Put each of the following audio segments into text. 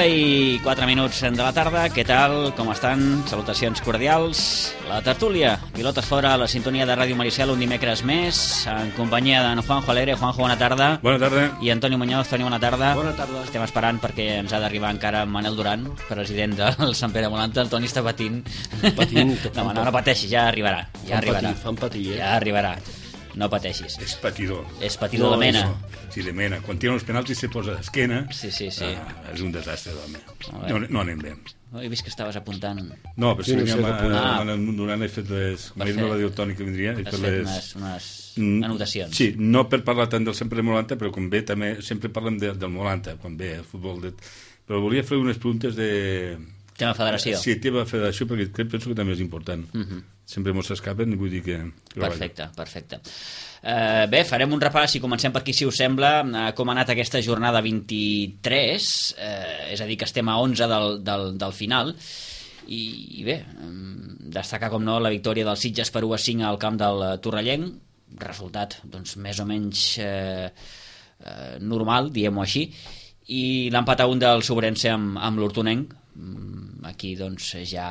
I 4 minuts de la tarda. Què tal? Com estan? Salutacions cordials. La tertúlia, pilotes fora, a la sintonia de Ràdio Maricel, un dimecres més, en companyia d'en Juanjo Alegre. Juanjo, bona tarda. Bona tarda. I Antonio Muñoz. Toni, bona tarda. Bona tarda. Estem esperant perquè ens ha d'arribar encara Manel Duran, president del Sant Pere Molanta. El Toni està patint. No pateixi, ja arribarà. Fan patir, Ja arribarà. No pateixis. És patidor. És patidor de mena. Sí, de mena. Quan tiren els penals i se posa d'esquena. Sí. És un desastre, d'home. No anem bé. He vist que estaves apuntant. No, però sí, durant he fet les... M'ha dit la diu Toni que vindria. Has fet unes anotacions. Sí, no per parlar tant del sempre Molanta, però com ve també, sempre parlem del Molanta, quan ve el futbol. Però volia fer unes preguntes de... Tema federació. Sí, tema federació, perquè penso que també és important. Sempre mos s'escapen i vull dir que... Perfecte. Bé, farem un repàs i comencem per aquí, si us sembla, com ha anat aquesta jornada 23, és a dir, que estem a 11 del final, i bé, destacar, com no, la victòria del Sitges per 1-5 al camp del Torrellenc, resultat, doncs, més o menys normal, diguem-ho així, i l'empat a 1 del Sobrense amb l'Hortonenc. Aquí, doncs, ja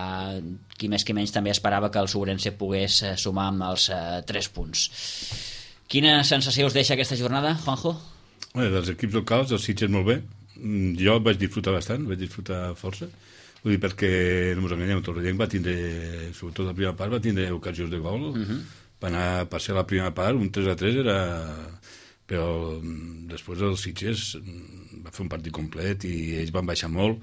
qui més qui menys també esperava que el Sobrense pogués sumar amb els 3 punts. Quina sensació us deixa aquesta jornada, Juanjo? Dels equips locals, el Sitges molt bé. Jo vaig disfrutar bastant, vaig disfrutar força. Vull dir, perquè, no ens enganyem, el Torrellenc va tindre, sobretot la primera part, va tindre ocasions de gol. Va ser la primera part, un 3-3 era... Però després el Sitges va fer un partit complet i ells van baixar molt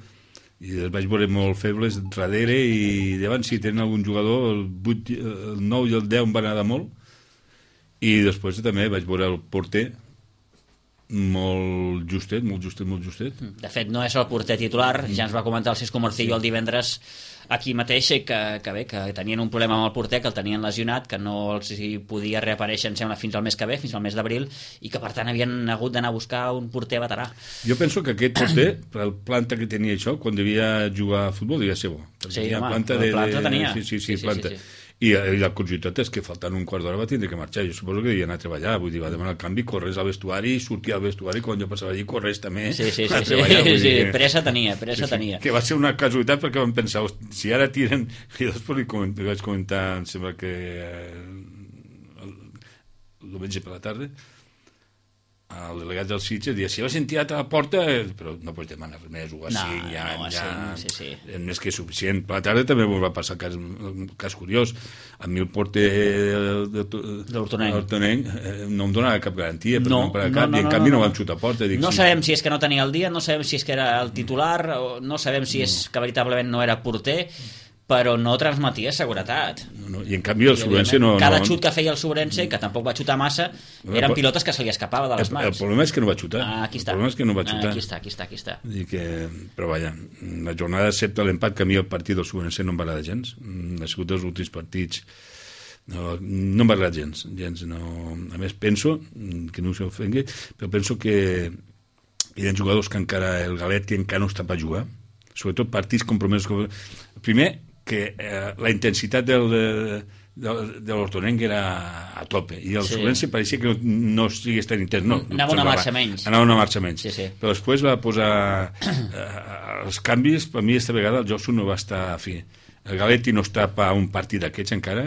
i els vaig veure molt febles darrere i davant si tenen algun jugador el 9 i el 10 em van anar molt i després també vaig veure el porter molt justet. De fet, no és el porter titular, ja ens va comentar el Cisco Morcillo el divendres aquí mateix, que tenien un problema amb el porter, que el tenien lesionat, que no els podia reaparèixer, em sembla, fins al mes que ve, fins al mes d'abril, i que per tant havien hagut d'anar a buscar un porter veterà. Jo penso que aquest porter, per el planta que tenia això, quan devia jugar a futbol, devia ser bo. Sí, home, el planta tenia. Sí, planta. I la curiositat és que faltant un quart d'hora va tindre que marxar. Jo suposo que devia anar a treballar, vull dir, va demanar el canvi, corres al vestuari, sortia al vestuari, quan jo passava allí, corres també a treballar. Sí, pressa tenia. Que va ser una casualitat perquè vam pensar, si ara tiren... I després li vaig comentar, em sembla que el diumenge per la tarda, el delegat del Sitges deia, si vas sentit a la porta, però no pots demanar res més, o a 5, ja és més que suficient. Per la tarda també va passar un cas curiós. A mi el porter de l'Hortonenc no em donava cap garantia, i en canvi no vam xutar a porta. No sabem si és que no tenia el dia, no sabem si és que era el titular, no sabem si és que veritablement no era porter, però no transmetia seguretat. I en canvi el Sobrense no... Cada xut que feia el Sobrense, que tampoc va xutar massa, eren pilotes que se li escapava de les mans. El problema és que no va xutar. Aquí està. Aquí està. Però vaja, la jornada excepte l'empat, que a mi el partit del Sobrense no em va agradar gens. Ha sigut dels últims partits... No em va agradar gens. A més, penso, que no us ofengui, però penso que hi ha jugadors que encara, el Galetti encara no està per jugar, sobretot partits compromesos. Primer, que la intensitat de l'Hortonenc era a tope i el Sobrense pareixia que no estigués tan intens. Anava una marxa menys. Sí. Però després va posar els canvis. Per mi esta vegada el Josu no va estar a fi. El Galetti no està per un partit d'aquests encara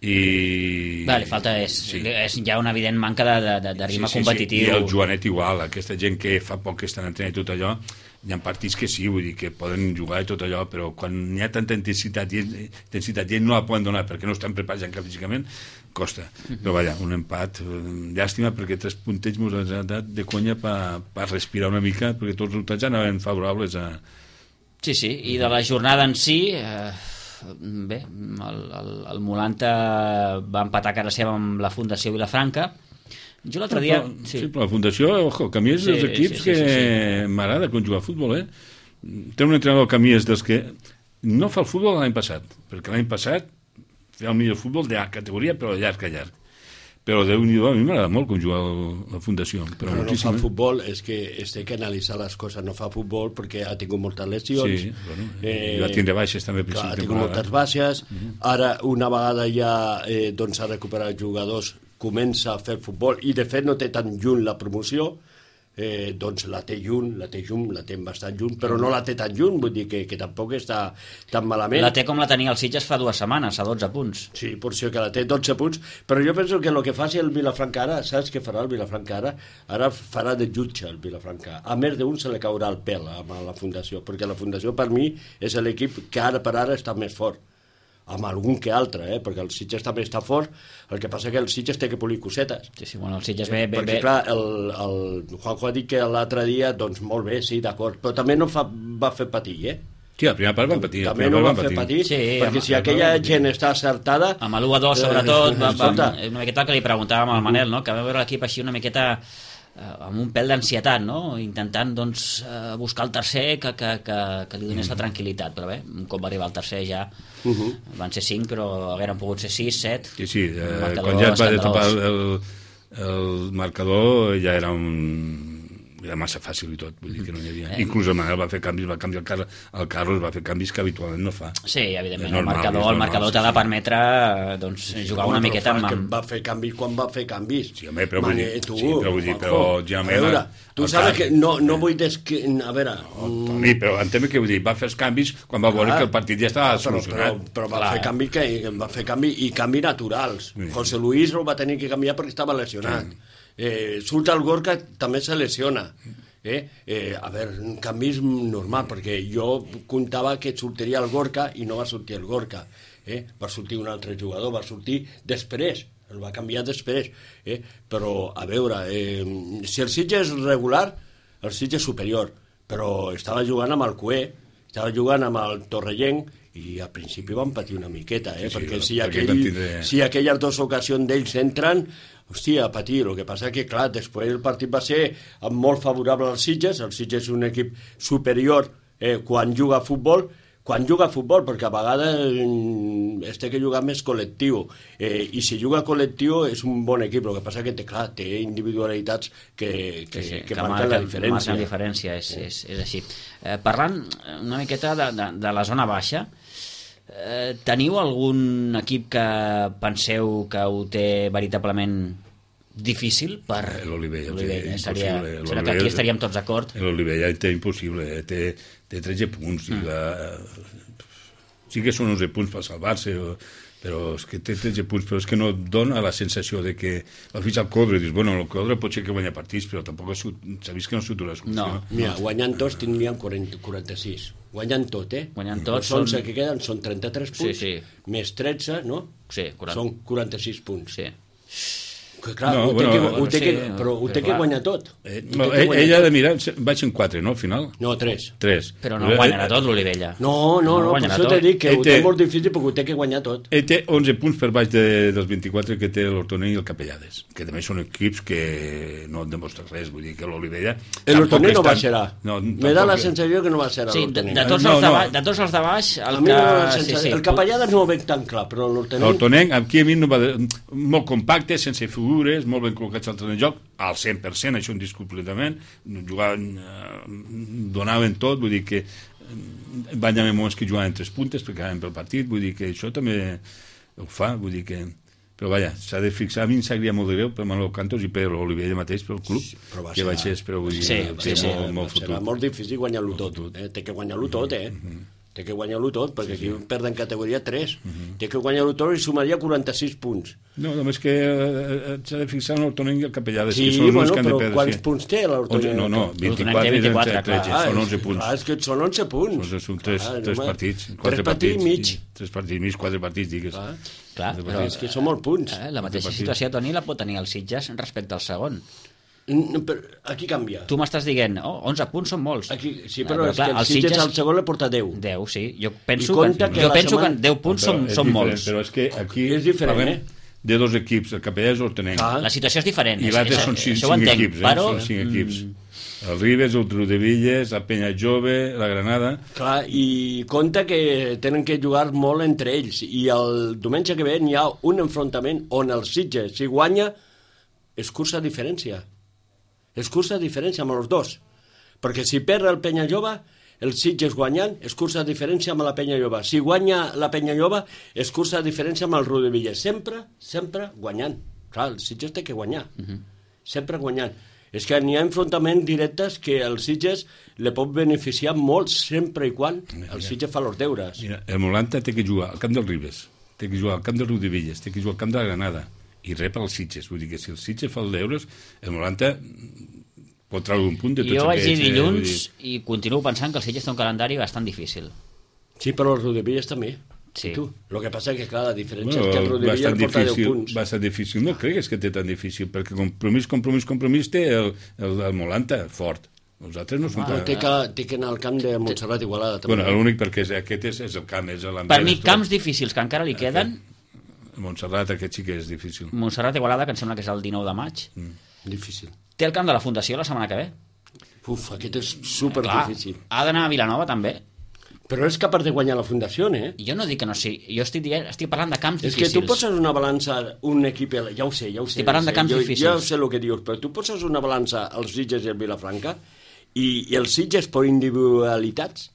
i... Li falta és ja una evident manca de ritme competitiu. I el Joanet igual, aquesta gent que fa poc que estan entrenant i tot allò, hi ha partits que sí, vull dir que poden jugar i tot allò, però quan hi ha tanta intensitat i ells no la poden donar perquè no estan preparats encara físicament, costa. Però vaja, un empat, llàstima, perquè 3 puntets ens han dat de conya per respirar una mica, perquè tots els resultats anaven favorables a... Sí, i de la jornada en si... Bé, el Molanta va empatar a casa seva amb la Fundació Vilafranca. Jo l'altre dia... Sí, però la Fundació, ojo, que a mi és dels equips que m'agrada jugar a futbol, Té un entrenador que a mi és dels que no fa el futbol l'any passat, perquè l'any passat feia el millor futbol de categoria, però de llarg a llarg. Però Déu-n'hi-do, a mi m'agrada molt jugar la Fundació. Però no fa futbol, és que es té que analitzar les coses. No fa futbol perquè ha tingut moltes lesions. Sí, bueno, va tindre baixes també. Ha tingut moltes baixes. Ara, una vegada ja doncs, ha recuperat jugadors, comença a fer futbol, i de fet no té tan lluny la promoció. Doncs la té bastant lluny, però no la té tan lluny, vull dir que tampoc està tan malament. La té com la tenia el Sitges fa 2 setmanes, a 12 punts. Sí, per això que la té 12 punts, però jo penso que el que faci el Vilafranca ara, saps què farà el Vilafranca ara? Ara farà de jutge el Vilafranca. A més d'un se li caurà el pèl a la Fundació, perquè la Fundació per mi és l'equip que ara per ara està més fort, amb algun que altre, perquè el Sitges també està fort. El que passa que el Sitges té que polir cosetes. Sí, bueno, el Sitges ve... Perquè, clar, el Juanjo ha dit que l'altre dia, doncs molt bé, sí, d'acord, però també no va fer patir, Sí, la primera part van patir. També no van fer patir, perquè si aquella gent està acertada... Amb l'1-2, sobretot, una miqueta el que li preguntàvem al Manel, que va veure l'equip així una miqueta... amb un pèl d'ansietat, intentant doncs, buscar el tercer que li donés la tranquil·litat, però bé, un cop va arribar al tercer ja van ser 5, però hagueren pogut ser 6, 7. Sí, quan ja es va tapar el marcador ja era massa fàcil i tot, vull dir que no hi havia... Inclús el Manel va fer canvis, va canviar el Carlos, va fer canvis que habitualment no fa. Sí, evidentment, el marcador t'ha de permetre jugar una miqueta amb... Va fer canvis quan va fer canvis. Sí, home, però vull dir, tu saps que no vull... A veure... Toni, però entenc què vull dir, va fer els canvis quan va veure que el partit ja estava solucionat. Però va fer canvis i canvis naturals. José Luis el va tenir que canviar perquè estava lesionat. Surt el Gorka, també se lesiona. A veure, canvis normal, perquè jo comptava que sortiria el Gorka i no va sortir el Gorka. Va sortir un altre jugador, va sortir després, el va canviar després. Però, a veure, si el Sitges és regular, el Sitges és superior, però estava jugant amb el Cué, estava jugant amb el Torrellenc, i al principi van patir una miqueta, perquè si aquelles 2 ocasions d'ells entren, hòstia, a patir. El que passa que, clar, després el partit va ser molt favorable als Sitges. El Sitges és un equip superior quan juga a futbol, perquè a vegades es té que jugar més col·lectiu, i si juga col·lectiu és un bon equip. El que passa que té individualitats que marquen la diferència. Marquen la diferència, és així. Parlant una miqueta de la zona baixa, teniu algun equip que penseu que ho té veritablement difícil per... L'Olivella. Serà que aquí estaríem tots d'acord. L'Olivella té impossible, té 13 punts. Sí que són 11 punts per salvar-se, però és que té 13 punts, però és que no dona la sensació de que va fitxar el Codre i dius, bueno, el Codre pot ser que guanya partits, però tampoc s'ha vist que no s'atura la solució. Mira, guanyant tots tindrien 46. Guanyant tot, Guanyant tot. Els 11 que queden són 33 punts, més 13, no? Sí, són 46 punts. Sí. Que clar, ho té que guanyar tot. Ella ha de mirar, vaig en 4, no, al final? No, 3. Però no guanyarà tot l'Olivella. No, per això t'he dit que ho té molt difícil perquè ho té que guanyar tot. Ell té 11 punts per baix dels 24 que té l'Hortoner i el Capellades, que també són equips que no et demostren res, vull dir que l'Olivella... L'Hortoner no baixarà. Me da la sensació que no baixarà l'Hortoner. De tots els de baix... El Capellades no ho veig tan clar, però l'Hortoner... L'Hortoner, aquí a mi no va... Molt compacte, sense figures, molt ben col·locats al terreny de joc, al 100%, això indiscutiblement, jugaven, donaven tot, vull dir que van haver moments que jugaven 3 puntes perquè anaven pel partit, vull dir que això també ho fa, vull dir que... Però vaja, s'ha de fixar, a mi em sabria molt de greu per Manolo Cantos i per l'Olivella mateix, pel club, que baixés, però vull dir, molt futur. Serà molt difícil guanyar-lo tot, té que guanyar-lo tot, Té que guanyar-lo tot, perquè aquí perden categoria 3. Té que guanyar-lo tot i sumaria 46 punts. No, només que s'ha de fixar en l'Hortonenc i el Capellades, Sí, que són els que han de però perdre. quants punts té l'Hortonenc? No, 24 té i 24, 13, són 11 punts. Clar, és que són 11 punts. Són tres partits. 3 partits i mig. 3 partits i mig, 4 partits, digues. Clar, però És que són molts punts. la mateixa situació, Toni, la pot tenir el Sitges respecte al segon. Aquí canvia. Tu m'estàs dient, 11 punts són molts. Aquí, sí, però és clar, que el Sitges al segon li porta 10. 10, sí. Jo penso compta que, que jo la penso setmana- que 10 punts són molts. Però és que aquí És diferent, parlem de dos equips, el Capellades i l'Hortonenc. La situació és diferent. I l'altre són 5 això ho entenc, equips, però... són 5 equips. El Ribes, el Trudevilles, la Penya Jove, la Granada... Clar, i compta que tenen que jugar molt entre ells. I el diumenge que ve hi ha un enfrontament on el Sitges, si guanya, és cursa a diferència. És cursa a diferència amb els dos. Perquè si perd el Penya Jove, el Sitges guanyant, és cursa a diferència amb la Penya Jove. Si guanya la Penya Jove, és cursa a diferència amb el Rodevilles. Sempre guanyant. Clar, el Sitges té que guanyar. Sempre guanyant. És que n'hi ha enfrontaments directes que el Sitges li pot beneficiar molt sempre i quan el Sitges fa els deures. Mira, el Molanta té que jugar al camp del Ribes, té que jugar al camp del Rodevilles, té que jugar al camp de la Granada, i rep els Sitges. Vull dir que si el Sitges fa els deures, el Molanta pot treure un punt de tots Jo vaig dir aquests, dilluns i continuo pensant que el Sitges té un calendari bastant difícil. Sí, però el Rodevilles també. Sí. I tu? El que passa és que, clar, la diferència és que el Rodevilles bastant porta 10 difícil, punts. bastant difícil. No cregues que té tan difícil, perquè compromís té el Molanta fort. Els altres no són... Però té que anar al camp de Montserrat Igualada, també. Bueno, l'únic perquè aquest és el camp, és l'Andrés. Per mi, camps difícils que encara li queden, Montserrat, aquest sí que és difícil. Montserrat Igualada, que em sembla que és el 19 de maig, Difícil. té el camp de la Fundació la setmana que ve. Uf, aquest és super Clar, difícil. ha d'anar a Vilanova també. Però és capaç de guanyar la Fundació, eh? Jo no dic que no sigui, jo estic parlant de camps És que difícils. tu poses una balança, un equip... Ja ho sé. Estic parlant de camps difícils. Jo sé el que dius, però tu poses una balança als Sitges i al Vilafranca i els Sitges per individualitats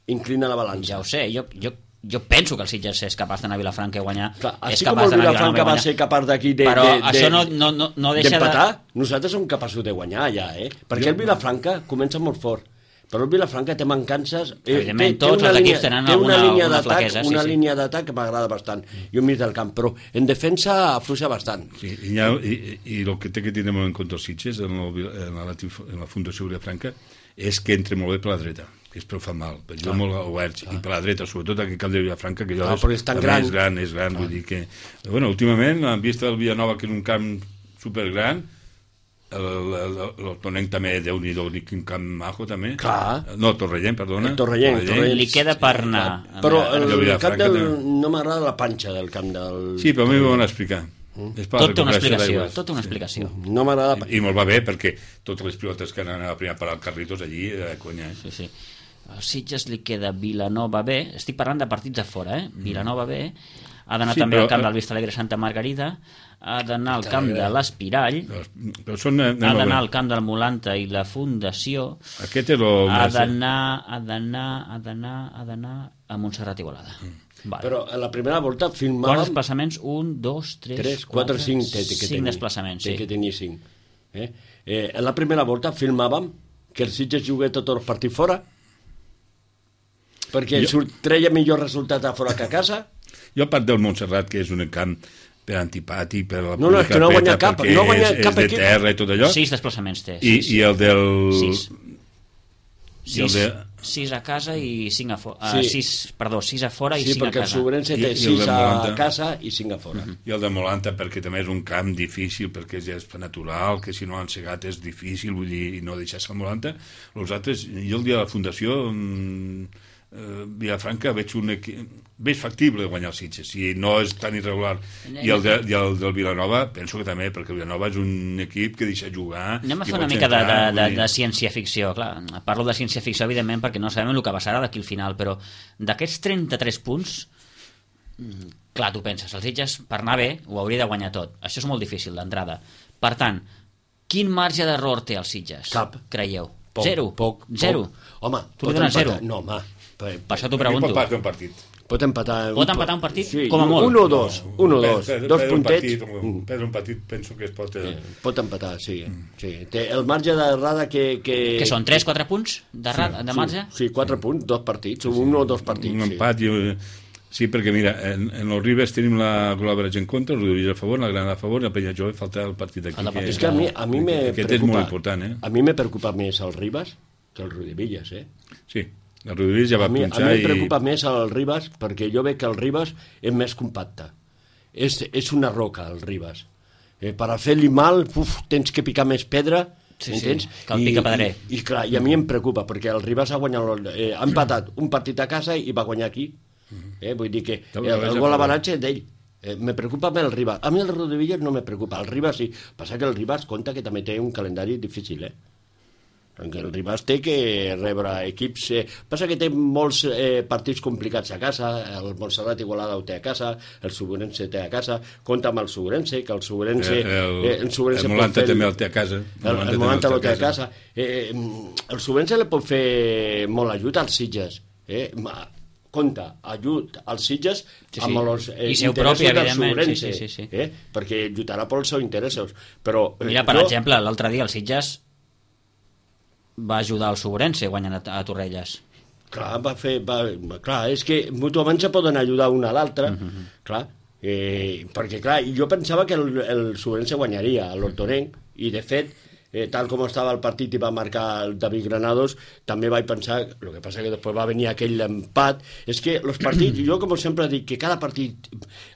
inclina la balança. Ja ho sé, jo penso que el Sitges és capaç d'anar a Vilafranca i guanyar. Clar, és així com capaç el d'anar a Vilafranca va guanyar. ser capaç d'aquí de... Però això no deixa d'empatar, nosaltres som capaços de guanyar allà, Perquè el Vilafranca comença molt fort, però el Vilafranca té mancances... Evidentment, tots els equips tenen alguna flaquesa, una línia d'atac que m'agrada bastant, i un mig del camp, però en defensa afluixa bastant. Sí, i el que té que tenir molt en compte els Sitges en la Fundació Vilafranca és que entre molt bé per la dreta, que és prou fa mal, perquè juga molt oberts, i per la dreta, sobretot aquest camp de Vilafranca, que però és tan gran. És gran, vull dir que... Bueno, últimament, en vista del Villanova, que és un camp supergran, l'Hortonenc també, Déu-n'hi-do, quin camp majo també. Clar. No, Torrellent, perdona. Torrellent. Li queda per anar. Però el Vilafranca camp del... també. No m'agrada la panxa del camp del... Sí, però a mi m'ho van explicar. És per la Tot té una recuperació explicació, d'aigües. tota una explicació. No m'agrada... I molt va bé, perquè totes les pilotes que anaven a la primera part al Carritos allí, conya, Sí, sí. Al Sitges li queda Vilanova B, estic parlant de partits a fora, Vilanova B, ha d'anar també al camp del Vistalegre Santa Margarida, ha d'anar al camp de l'Espirall, Però són... ha d'anar al camp del Molanta i la Fundació, Aquest és el ha més... d'anar a Montserrat Igualada. Vale. Però a la primera volta Quants filmàvem... desplaçaments? 1, 2, 3, 4, 5 té que 5 tenir. desplaçaments, Té sí. que tenir 5. En la primera volta filmàvem que el Sitges jugué tots els partits fora, perquè treia millor resultat a fora que a casa. Jo, a part del Montserrat, que és un camp per antipàtic, per la No, és que no guanya cap, perquè no guanya és cap de equip. terra i tot allò. 6 desplaçaments té. I el del... 6. 6 a casa i 5 a fora. Sí. 6 a fora i Sí, 5 a perquè el casa. Sobrense té I el 6 del a Molanta. casa i 5 a fora. I el de Molanta, perquè també és un camp difícil, perquè és gespa natural, que si no han segat és difícil, vull dir, i no deixar-se el Molanta. Els altres, jo el dia de la Fundació, Vilafranca, veig factible guanyar els Sitges, si no és tan irregular. I el del Vilanova, penso que també, perquè el Vilanova és un equip que deixa jugar... Anem a i fer una pot mica entrar, de ciència-ficció. Clar, parlo de ciència-ficció, evidentment, perquè no sabem el que passarà d'aquí al final, però d'aquests 33 punts, clar, tu penses, els Sitges, per anar bé, ho hauria de guanyar tot. Això és molt difícil, d'entrada. Per tant, quin marge d'error té els Sitges? Cap. Creieu? Poc, Zero. poc. Zero. Home, Tu li dones zero? No, home. Per això t'ho Aquí pregunto. pot perdre un partit. Pot empatar un partit, sí, com a molt. 1 o 2, 1 o 2, dos puntets. Perdre un partit penso que es pot... Pot empatar, sí. Té el marge d'errada que... Que són 3-4 punts de marge? Sí, 4 punts, 2 partits, 1 o 2 partits. Un empat, sí, perquè mira, en el Ribes tenim la Col·laboració en contra, el Rodríguez a favor, la Granada a favor, i el Penyajove falta el partit d'aquí. És que a mi me preocupa... Aquest és molt important, A mi me preocupa més el Ribes que el Rodríguez, Sí, el Rodríguez ja va punxar a mi em preocupa més el Ribes perquè jo veig que el Ribes és més compacte. És una roca, el Ribes. Per a fer-li mal, tens que picar més pedra, entens? Que el pica pedrer. I clar, i a mi em preocupa, perquè el Ribes ha guanyat, ha empatat un partit a casa i va guanyar aquí. Vull dir que el gol avanatge és d'ell. Me preocupa més el Ribes. A mi el Rodríguez no me preocupa. El Ribes sí. Passa que el Ribes compta que també té un calendari difícil, perquè el Ribes té que rebre equips... Passa que té molts partits complicats a casa, el Montserrat Igualada ho té a casa, el Segurense té a casa, compta amb el Segurense, que el Segurense... El Molanta també el té a casa. El Molanta el té a casa. El Segurense li pot fer molt ajut als Sitges. Compta, ajut als Sitges amb els interessos del Segurense, perquè lluitarà pels seus interessos. Però, mira, per exemple, l'altre dia el Sitges va ajudar el Segurense guanyant a Torrelles. Clar, clar, és que mútuament se poden ajudar un a l'altre, clar, perquè clar, jo pensava que el Segurense guanyaria a l'Hortonenc, i de fet, tal com estava el partit i va marcar el David Granados, també vaig pensar, el que passa que després va venir aquell empat, és que els partits, jo com sempre dic que cada partit,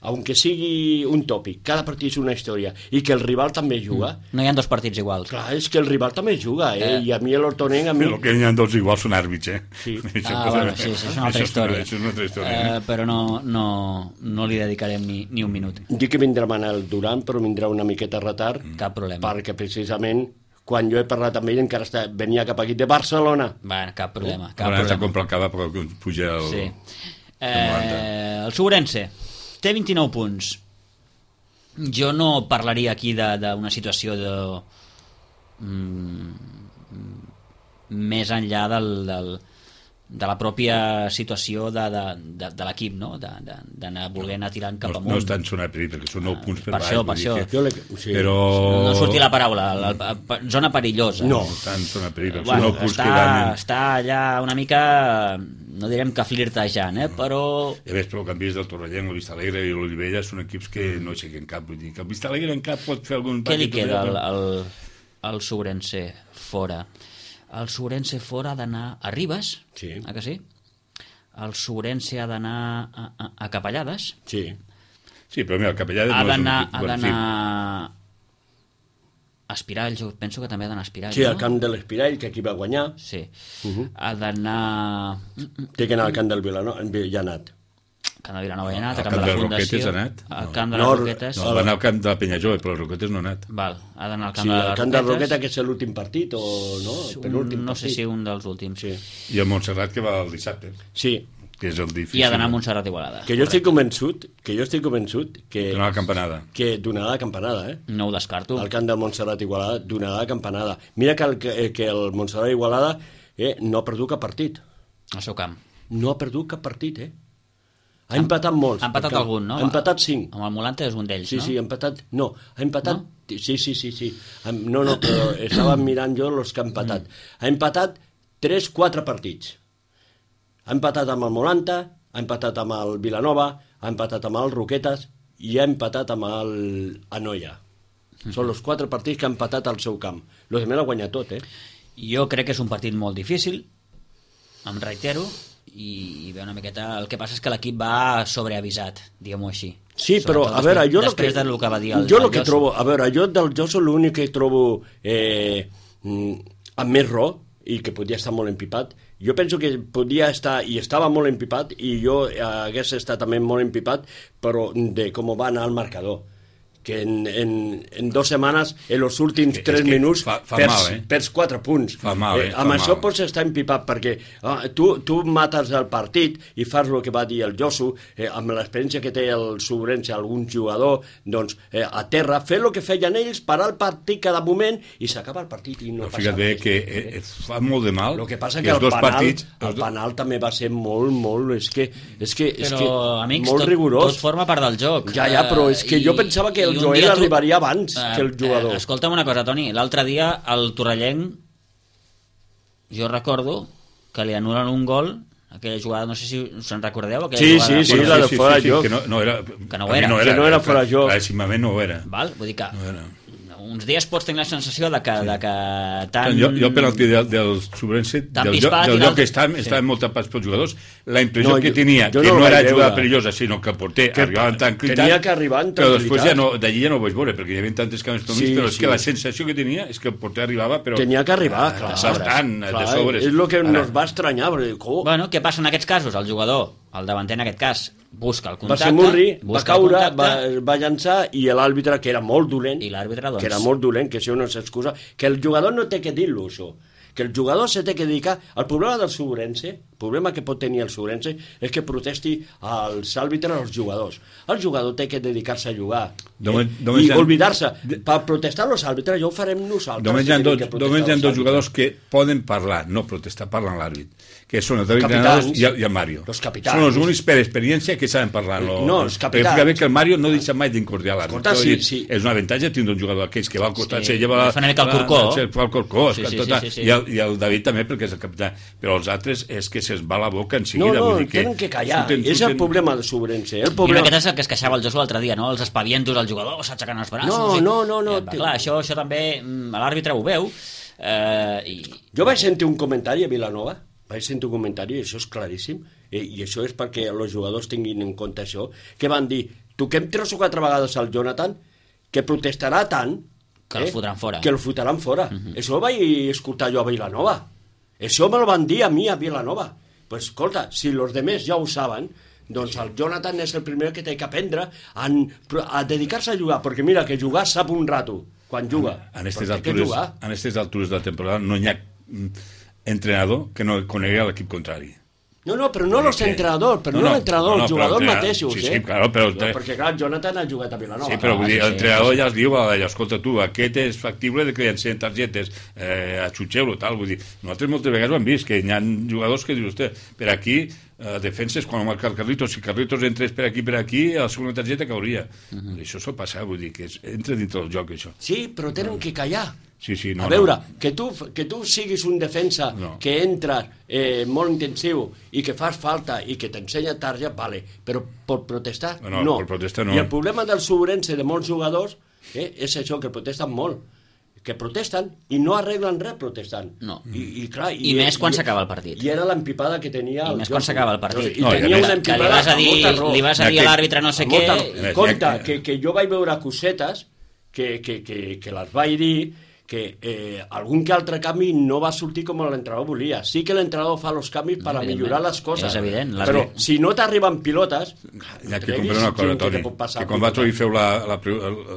aunque sigui un tòpic, cada partit és una història, i que el rival també juga. No hi ha dos partits iguals. Clar, és que el rival també juga, i a mi l'Hortonenc... El que hi ha dos iguals són àrbits, Sí. Bueno, sí, és una altra història. És una altra història. Però no li dedicarem ni un minut. Dic que vindrà Manel Duran, però vindrà una miqueta a retard. Cap problema. Perquè precisament quan jo he parlat amb ell encara venia cap aquí de Barcelona. Bueno, cap problema. Cap problema. A comprar el cava perquè puja el... Sí. El Segurense té 29 punts. Jo no parlaria aquí d'una situació més enllà de la pròpia situació de l'equip, no? D'anar volent anar tirant cap amunt. No estan sonant perill, perquè són 9 punts per baix. Per això. Però... No surti la paraula, zona perillosa. No estan sonant perill, són 9 punts que van... Està allà una mica, no direm que flirtejant, però... Ja ves, però canvis del Torrellenc, el Vistalegre i l'Olivella són equips que no aixequen cap. Vull dir que el Vistalegre en cap pot fer algun... Què li queda al Segurense fora? El Segurense fora ha d'anar a Ribes, que sí? El Segurense ha d'anar a Capellades. Sí, però mira, el Capellades ha d'anar a Espirall, jo penso que també ha d'anar a Espirall. Sí, al camp de l'Espirall, que aquí va guanyar. Sí. Ha d'anar... Té que anar al camp del Vilanova, ja ha anat. Camp de Vilanova ha anat, al camp de la Fundació. Al camp de les Roquetes. No, va anar al camp de la Penyajove, però les Roquetes no ha anat. Val, ha d'anar al camp de les Roquetes. Sí, al camp de la Roqueta, que és l'últim partit, o no? No sé si un dels últims. Sí. I el Montserrat, que va el dissabte. Sí. Que és el difícil. I ha d'anar a Montserrat Igualada. Que jo estic convençut que... Donarà la campanada. Que donarà la campanada, No ho descarto. Al camp del Montserrat Igualada donarà la campanada. Mira que el Montserrat Igualada no ha perdut cap partit. Al seu camp. No ha perdut cap partit, Ha empatat molts. Ha empatat algun, no? Ha empatat 5. Amb el Molante és un d'ells, no? Sí, ha empatat... No, ha empatat... No? Sí. No, però estava mirant jo els que ha empatat. Ha empatat 3-4 partits. Ha empatat amb el Molanta, ha empatat amb el Vilanova, ha empatat amb el Roquetes i ha empatat amb el Anoia. Són els 4 partits que ha empatat al seu camp. Los demés l'ha guanyat tot, Jo crec que és un partit molt difícil, em reitero, i bé, una miqueta el que passa és que l'equip va sobreavisat, diguem-ho així. Sí, però a veure, jo després del que va dir el que trobo, a veure, jo del Joso l'únic que trobo amb més raó i que podia estar molt empipat, jo penso que podia estar, i estava molt empipat, i jo hagués estat també molt empipat, però de com va anar el marcador, que en 2 setmanes, en els últims 3 minuts, perds 4 punts. Amb això pots estar empipat, perquè tu mates el partit i fas el que va dir el Josu, amb l'experiència que té el Sobrense, algun jugador, doncs, a terra, fer el que feien ells, parar el partit cada moment i s'acaba el partit i no passa res. Fíjate que fa molt de mal. El que passa que el penal també va ser molt, és que amics, molt rigorós. Tot forma part del joc. Ja, però és que jo pensava que el Joel arribaria abans que el jugador. Escolta'm una cosa, Toni, l'altre dia el torrellenc, jo recordo que li anulen un gol, aquella jugada, no sé si us en recordeu, sí, la de fora joc, que no era fora joc, claríssimament no ho era. Val? Vull dir que uns dies pots tenir la sensació de que tant... Jo el penalti del Sobrense, del lloc que estaven molt tapats pels jugadors, la impressió que tenia, que no era jugada perillosa, sinó que el porter arribava en tranquil·litat, tenia que arribar en però després d'allí ja no ho vaig veure, perquè hi havia tantes canvis per mig, però és que la sensació que tenia és que el porter arribava, però... Tenia que arribar, clar. De sobres. És el que ens va estranyar. Bueno, què passa en aquests casos? El jugador, el davanter en aquest cas, busca el contacte, va ser Murri, va caure, va llançar, i l'àrbitre, que era molt dolent, que era molt dolent, que això no s'excusa, que el jugador no té que dir-lo, això, que el jugador se té que dedicar. El problema del Sobrense, el problema que pot tenir el Sobrense, és que protesti als àrbitres, als jugadors. El jugador té que dedicar-se a jugar i oblidar-se. Per protestar als àrbitres, ja ho farem nosaltres. Només hi ha 2 jugadors que poden parlar, no protestar, parlen l'àrbit, que són el David Granados i el Mario. Són els únics per experiència que saben parlar. No, els capitans. Perquè que el Mario no deixa mai d'incordiar l'àrbit. És un avantatge tindre un jugador d'aquells que va al costat, se lleva el corcó, i el David també, perquè és el capità. Però els altres és que se'ls va la boca en seguida. No, tenen que callar. És el problema del Sobrense. I aquest és el que es queixava el Josu l'altre dia, no? Els espavientos al jugador, s'aixecant els braços. No. Clar, això també l'àrbitre ho veu. Jo vaig sentir un comentari a Vilanova, i això és claríssim, i això és perquè els jugadors tinguin en compte això, que van dir, toquem 3 o 4 vegades al Jonathan, que protestarà tant que el fotran fora. Que el fotran fora. Això ho vaig escoltar jo a Vilanova. Això me'l van dir a mi a Vilanova. Pues escolta, si els demés ja ho saben, doncs el Jonathan és el primer que té que aprendre a dedicar-se a jugar, perquè mira, que jugar sap un rato quan juga. En aquestes altures de la temporada no hi ha entrenador que no conegui l'equip contrari. No, però no els entrenadors, els jugadors mateixos. Sí, claro, però... Perquè, clar, Jonathan ha jugat a Vilanova. Sí, però l'entrenador ja es diu, escolta tu, aquest és factible de que llancen targetes, atxutxeu-lo, tal, vull dir, nosaltres moltes vegades ho hem vist, que hi ha jugadors que diu vostè, per aquí, defenses, quan marca el Carlitos, si Carlitos entrés per aquí, a la segona targeta cauria. Això sol passar, vull dir, que entra dintre del joc, això. Sí, però tenen que callar. Sí, a veure, que tu siguis un defensa que entra molt intensiu i que fas falta i que t'ensenya tarja, vale, però per protestar, no. Per protestar no. I el problema del Sobrense de molts jugadors és això, que protesten molt, que protesten i no arreglen res protestant. No. I més quan s'acaba el partit. I era l'empipada que tenia... I més quan s'acaba el partit. Que li vas a dir a l'àrbitre no sé què... Compte, que jo vaig veure cosetes que les vaig dir, que algun que altre canvi no va sortir com l'entrenador volia. Sí que l'entrenador fa els canvis per a millorar les coses. És evident. Però si no t'arriben pilotes... Hi ha que comprar una cosa, Toni, que quan vosaltres feu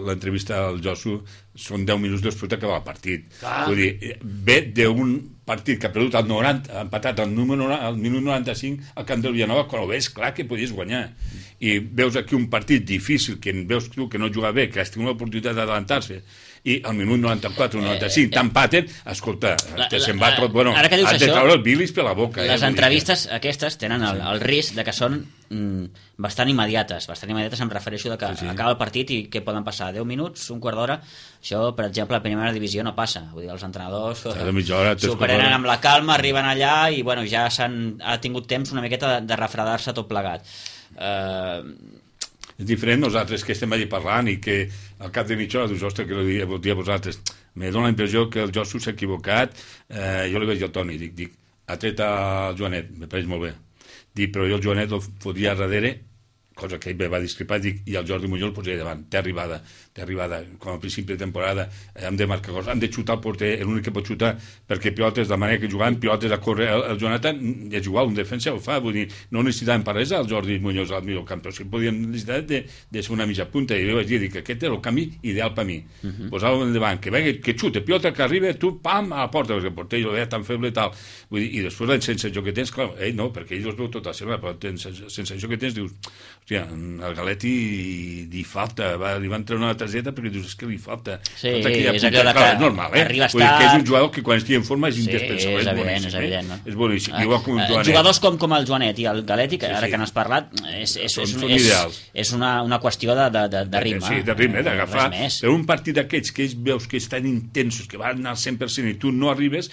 l'entrevista al Josu, són 10 minuts després d'acabar el partit. Vull dir, ve d'un partit que ha perdut al 90, empatat al minut 95 al camp del Vilanova, quan ho veus clar que podies guanyar. I veus aquí un partit difícil, que veus tu que no juga bé, que has tingut l'oportunitat d'adelantar-se, i al minut 94 o 95 t'empaten, escolta, se'n va tot, bueno, has de treure el bilis per la boca. Les entrevistes aquestes tenen el risc de que són bastant immediates em refereixo de que acaba el partit i que poden passar 10 minuts, un quart d'hora. Això, per exemple, a primera divisió no passa, vull dir, els entrenadors s'ho prenen amb la calma, arriben allà i bueno, ja ha tingut temps una miqueta de refredar-se tot plegat. És diferent nosaltres que estem allà parlant i que al cap de mitja hora dius, ostres, que vol dir a vosaltres, me dona la impressió que el Josu s'ha equivocat. Jo li vaig dir al Toni, dic, ha tret el Joanet, me pareix molt bé, dic, però jo el Joanet el fotria darrere cosa que ell va discrepar, i el Jordi Muñoz el posaria davant, té arribada, com a principi de temporada, hem de marcar coses, hem de xutar el porter, l'únic que pot xutar, perquè pilotes, de manera que jugaven pilotes a córrer, el Jonathan és igual, un defensa ho fa, vull dir, no necessitàvem per res el Jordi Muñoz al mig del camp, però sí podíem necessitar de ser una mitja punta, i jo vaig dir que aquest és el camí ideal per mi, posar-lo endavant, que xute, pilota que arriba, tu, pam, a la porta, perquè el porter jo veia tan feble i tal, vull dir, i després sense joc que tens, clar, ell no, perquè ell els veu tot a seva, però sense joc que tens dius, hòstia, al Galetti li falta, li van treure una targeta perquè dius, és que li falta. Sí, és allò que és normal, arriba a estar... que és un jugador que quan estigui en forma és indispensable, és evident, és evident, no? És boníssim, igual com el Joanet. Jugadors com el Joanet i el Galetti, que ara que n'has parlat, és una qüestió de ritme. Sí, de ritme, d'agafar. Però un partit d'aquests que ells veus que estan intensos, que van al 100% i tu no arribes,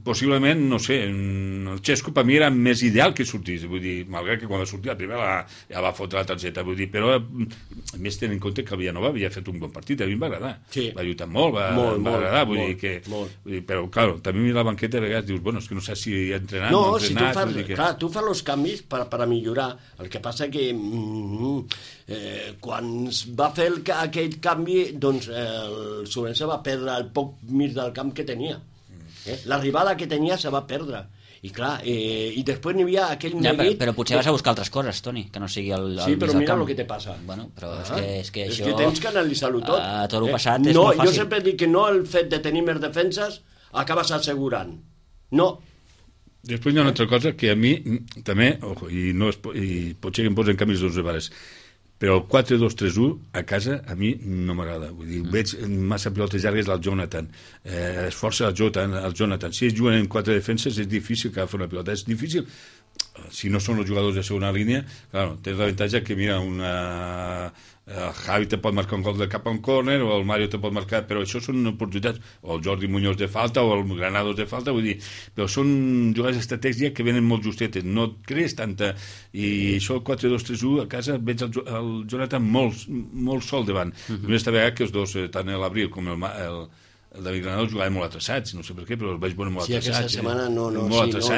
possiblement, no sé, el Xesco per mi era més ideal que sortís, vull dir, malgrat que quan va sortir la primera ja va fotre la targeta, vull dir, però a més tenint en compte que el Villanova havia fet un bon partit, a mi em va agradar, va lluitar molt, va agradar, vull dir que... Però, clar, també a la banqueta a vegades dius, bueno, és que no sé si he entrenat, no he entrenat... Clar, tu fas els canvis per a millorar, el que passa que quan es va fer aquell canvi, doncs el Sobrense va perdre el poc mig del camp que tenia. L'arribada que tenia se va perdre i clar, i després n'hi havia aquell neguit... Però potser vas a buscar altres coses, Toni, que no sigui el sí, però mira el que te passa. Bueno, però és que això... És que tens que analitzar-ho tot. A tot el passat és molt fàcil. Jo sempre dic que no el fet de tenir més defenses acabes assegurant. No. Després hi ha una altra cosa que a mi també, i potser que em posen canvis dos vegades, però el 4-2-3-1 a casa a mi no m'agrada, vull dir, veig massa pilotes llargues al Jonathan, esforça el Jonathan, si ells juguen en 4 defenses és difícil que agafi una pilota, és difícil si no són els jugadors de segona línia, clar, tens l'avantatge que mira el Javi te pot marcar un gol de cap a un córner o el Mario te pot marcar, però això són oportunitats, o el Jordi Muñoz de falta o el Granados de falta, vull dir, però són jugades d'estratègia que venen molt justetes, no et crees tanta, i això el 4-2-3-1 a casa veig el Jonathan molt sol davant, aquesta vegada que els dos, tant l'Abril com el David Granados jugaven molt atrasats, no sé per què, però els veig molt atrasats. Sí, aquesta setmana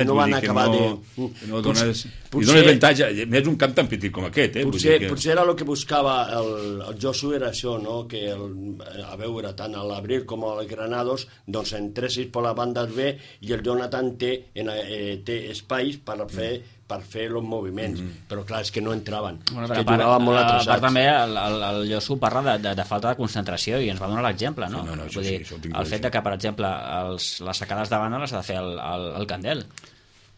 no van acabar de... I dona avantatge, més un camp tan petit com aquest. Potser era el que buscava el Josu, era això, no? Que a veure, tant l'Abril com el Granados, doncs entressis per la banda B i el Jonathan té espais per fer els moviments, però clar, és que no entraven, que jugaven molt atrasats. A part també el Josu parla de falta de concentració i ens va donar l'exemple, no? Vull dir, el fet que, per exemple, les sacades de banda les ha de fer el Candel.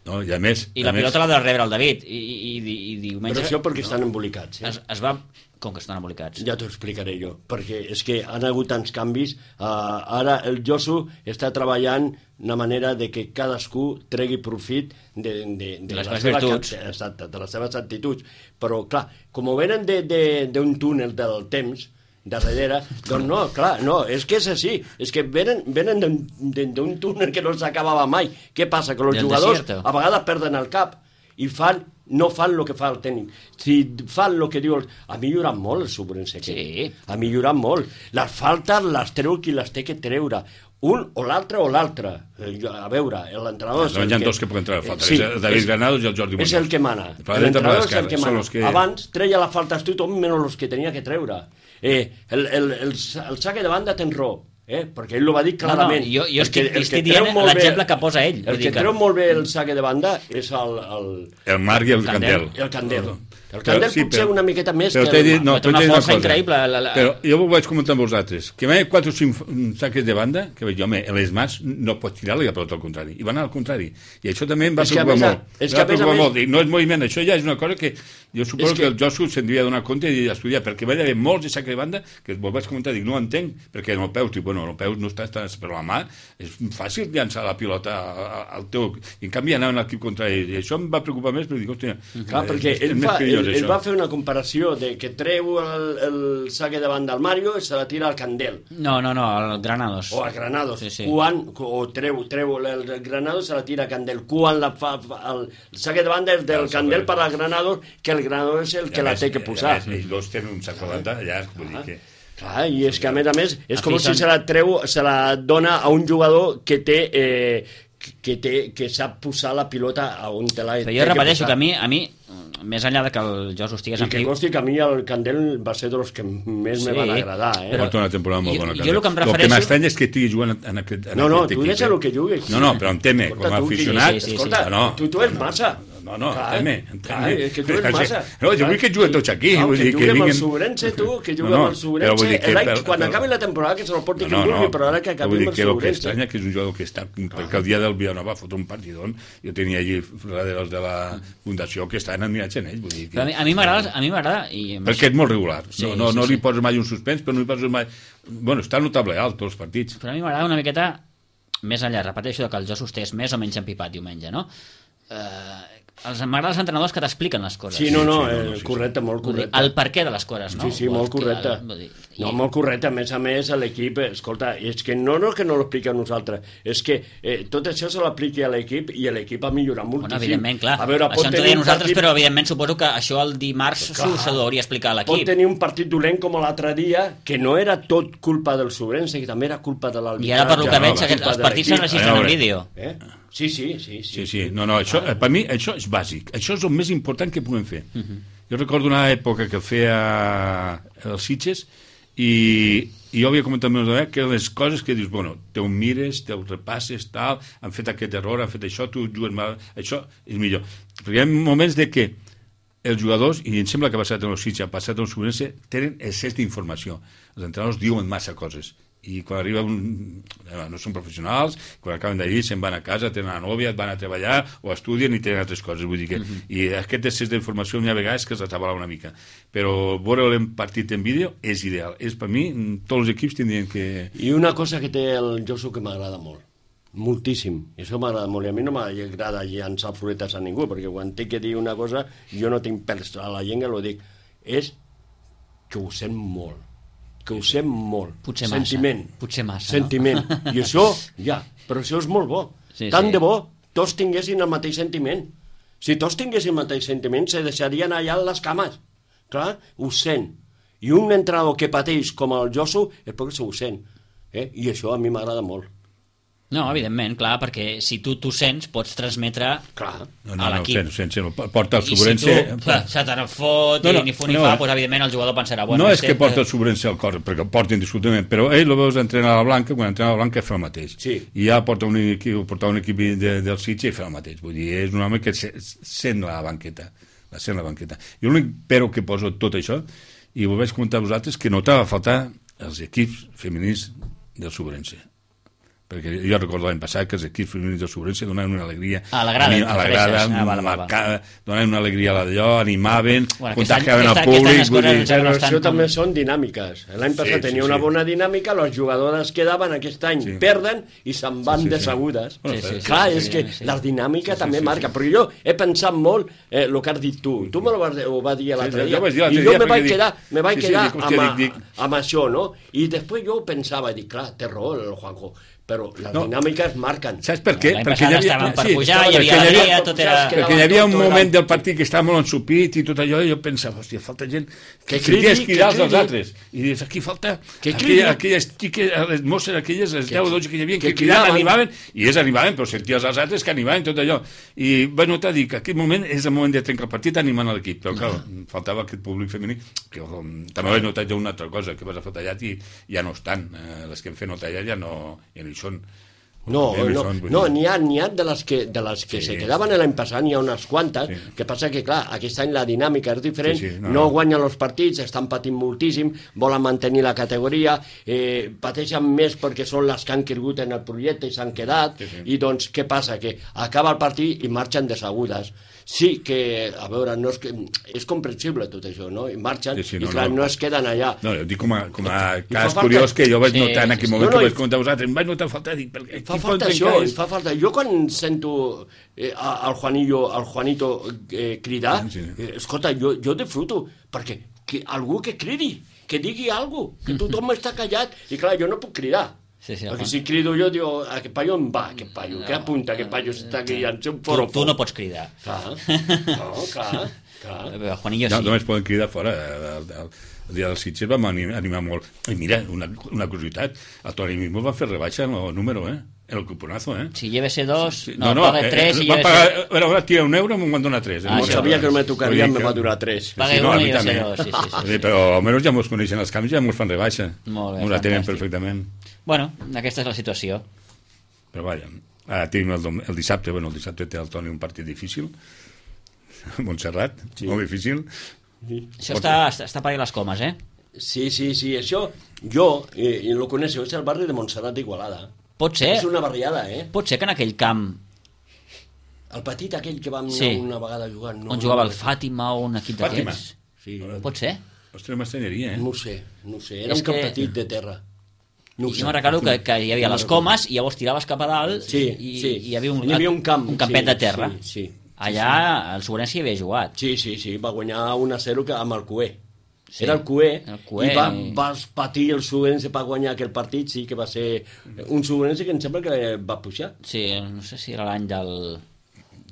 No, i a més... I la pilota l'ha de rebre el David, i diumenge... Però això perquè estan embolicats. Es va... Com que estan embolicats? Ja t'ho explicaré jo, perquè és que han hagut tants canvis. Ara el Josu està treballant una manera de que cadascú tregui profit de les virtuts. Exacte, de les seves actituds. Però, clar, com venen d'un túnel del temps, de darrere, doncs no, clar, no, és que és així, és que venen d'un túnel que no s'acabava mai. Què passa? Que els jugadors a vegades perden el cap i no fan el que fa el tècnic. Si fan el que diu... Ha millorat molt el Sobrense. Sí. Ha millorat molt. Les faltes les treu qui les té que treure. Un o l'altre o l'altre. A veure, l'entrenador... Hi ha dos que poden treure falta. El David Granados i el Jordi Muñoz. És el que mana. L'entrenador és el que mana. Abans treia les faltes tothom menys els que tenia que treure. El saque de banda ten raó. Perquè ell ho va dir clarament. Jo estic dient l'exemple que posa ell. El que treu molt bé el saque de banda és el Marc i el Candel. El Candel. El Candel potser una miqueta més que el Marc. Té una força increïble. Però jo ho vaig comentar amb vosaltres. Que hi ha 4 o 5 saques de banda, que veig jo, les mans no pots tirar-li a pelota al contrari. I van al contrari. I això també em va preocupar molt. Em va preocupar molt. No és moviment, això ja és una cosa que jo suposo que el Josu se'n devia donar compte i estudiar, perquè va haver molts de saques de banda que vos vaig comentar, dic, no ho entenc, perquè en el peu, bueno, el peu no està, però la mà és fàcil llançar la pilota al teu... I en canvi anaven a l'equip contrari. I això em va preocupar més, però dic, hòstia... Clar, perquè ell va fer una comparació de que treu el saque de banda al Mario i se la tira al Candel. No, al Granados. O al Granados. Sí. O treu el Granados i se la tira al Candel. Quan el saque de banda és del Candel per al Granados, que el Granados és el que la té que posar. Ells dos tenen un sac de banda llarg, vull dir que... Clar, i és que a més és com si se la dona a un jugador que té que sap posar la pilota a on te l'ha... Però jo repeteixo que a mi, més enllà de que el Josu estigués i que consti que a mi el Candel va ser dels que més me van agradar, Porta una temporada molt bona, jo el que em refereixo... El que m'estranya és que estigui jugant en aquest equip. No, tu deixa el que juguis. No, però em teme, com a aficionat... Escolta, tu és massa. No, teme. És que tu és massa. No, jo vull que juguen tots aquí. Que jugui amb el Sobrense, tu, que jugui amb el Sobrense. Quan acabi la temporada que se la porti que vulgui, però ara que acabi amb el Sobrense. El que estranya que és un jugador que està... Perquè el dia del Vilanova fot un partidón, jo tenia allí darrere de la fundació que estaven admirats en ell. Però a mi m'agrada... Perquè és molt regular. No li poses mai un suspens, però no li poses mai... Bueno, està notable alt, tots els partits. Però a mi m'agrada una miqueta més enllà, repeteixo, que el Josu estés més o menys empipat diumenge, no? M'agraden els entrenadors que t'expliquen les coses. Sí, correcte, molt correcte. El perquè de les coses, no? Sí, molt correcte. Molt correcte. A més, l'equip, escolta, és que no que no l'expliqui a nosaltres, és que tot això se l'apliqui a l'equip i l'equip ha millorat moltíssim. Bueno, evidentment, clar. Això ens ho deia nosaltres, però evidentment suposo que això el dimarts s'ho hauria explicar a l'equip. Pot tenir un partit dolent com l'altre dia, que no era tot culpa del Sobrense, que també era culpa de l'arbitratge. I ara, per lo que veig, els partits s'enregistren en vídeo. Sí. No, això, per mi això és bàsic. Això és el més important que puguem fer. Jo recordo una època que feia els Sitges i jo havia comentat més o menys que les coses que dius, bueno, te ho mires, te ho repasses, tal, han fet aquest error, han fet això, tu jugues mal, això és millor. Perquè hi ha moments de que els jugadors, i em sembla que ha passat en els Sitges, ha passat en el Sobrense, tenen excés d'informació. Els entrenadors diuen massa coses. I quan arriba no són professionals, quan acaben d'allí se'n van a casa, tenen una nòvia, van a treballar o estudien i tenen altres coses, vull dir que i aquest excés d'informació n'hi ha vegades que els atabala una mica, però veure el partit en vídeo és ideal, és per mi tots els equips tindrien que... I una cosa que té el Josu que m'agrada molt, moltíssim, i això m'agrada molt, i a mi no m'agrada llançar floretes a ningú, perquè quan tinc que dir una cosa jo no tinc pèls a la llengua, ho dic, és que ho sent molt, potser sentiment, massa, sentiment. No? I això, però això és molt bo. Tant de bo, tots tinguessin el mateix sentiment. Si tots tinguessin el mateix sentiment, se deixarien allà les cames. Clar, ho sent. I un entrenador que pateix com el Josu és perquè ho sent. I això a mi m'agrada molt. No, evidentment, clar, perquè si tu sents, pots transmetre a l'equip. No, porta el Sobrense... I si tu se te n'en fot i ni fu ni fa, doncs evidentment el jugador pensarà... No és que porta el Sobrense al cor, perquè porta indiscutiblement, però ell el veus entrenar a la Blanca, quan entrena a la Blanca fa el mateix. I ja porta un equip del Sitges i fa el mateix. Vull dir, és un home que sent la banqueta. I l'únic però que poso tot això, i ho vaig comentar a vosaltres, que notava faltar els equips femenins del Sobrense. Perquè jo recordo l'any passat que els equips femenins del Sobrense donaven una alegria a la grada donaven una alegria a d'allò, animaven, contagiaven al públic. Però això també són dinàmiques. L'any passat tenia una bona dinàmica, les jugadores quedaven, aquest any perden i se'n van desagudes. Clar, és que la dinàmica també marca, però jo he pensat molt el que has dit tu ho va dir l'altre dia, i jo me vaig quedar amb això, no? I després jo pensava, dic, clar, té raó el Juanjo, però les dinàmiques marquen. Saps per què? L'any passat estaven per pujar, hi havia alegria, tot era... Perquè hi havia un moment del partit que estava molt ensupit i tot allò, i jo pensava, hòstia, falta gent que cridi als altres. I dius, aquí falta aquelles xiques, les mosses aquelles, les 10 o 12 que hi havia, que cridaven, animaven, i ells animaven, però senties els altres que animaven tot allò. I vaig notar, dic, aquest moment és el moment de trencar el partit animant a l'equip, però clar, faltava aquest públic femení, que també vaig notar ja una altra cosa, que vas a fer tallat i ja no estan, les que hem fet no tallat ja no hi són. N'hi ha de les que se quedaven l'any passat, n'hi ha unes quantes, que passa que, clar, aquest any la dinàmica és diferent, no guanyen els partits, estan patint moltíssim, volen mantenir la categoria, pateixen més perquè són les que han cregut en el projecte i s'han quedat, i doncs què passa? Que acaba el partit i marxen desagudes. Sí que, a veure, no és comprensible tot això, no? I marxen i clar, no es queden allà. No, jo dic com a cas curiós que jo vaig notar en aquell moment que vaig comentar a vosaltres, em vaig notar falta, dic, fa falta això, fa falta. Jo quan sento al Juanito cridar, escolta, jo disfruto, perquè algú que cridi, que digui alguna cosa, que tothom està callat, i clar, jo no puc cridar. Perquè si crido jo, diu, aquest paio em va, aquest paio, què apunta, aquest paio s'està guiant, un forofo. Tu no pots cridar. Clar. Juanillo sí. Només poden cridar fora. El dia dels Sitges vam animar molt. I mira, una curiositat, el Toni Mimos va fer rebaixa en el número, En el cuponazo, Si lleves 2, Sí. paga 3 i va lleves... pagar, ahora tira €1, me'n van donar 3. No sabia que no me tocaria, me va durar 3. Paga no, a 1 mi i també. 2, sí. Sí, però almenys ja mos coneixen els canvis, ja mos fan rebaixa. Molt bé, Mos la tenen fantàstic. perfectament. Bueno, aquesta és la situació. Però vaja, ara tenim el dissabte, el dissabte té el Toni un partit difícil, a Montserrat, molt difícil. Això està per les comes, Sí, això, jo, i lo coneixo, és el barri de Montserrat d'Igualada. Pot ser, És una barriada, pot ser que en aquell camp El petit aquell que vam Sí. anar una vegada a jugar... No, on jugava el Fàtima o un equip Fàtima. d'aquests... Sí. Pot ser? Ostres, m'estranyaria, No ho sé. Era És un camp que- petit de terra. No ho I sé. jo me'n recordo que hi havia les comes i llavors tiraves cap a dalt Sí, i sí. hi havia un camp. un campet sí, de terra. Sí. Allà el Sobrense hi havia jugat. Sí, va guanyar 1-0 amb el Cué. Sí, Era el Cué, el Cué. i vas patir el Sobrense per guanyar aquell partit, sí que va ser un Sobrense que em sembla que va pujar. Sí, no sé si era l'any del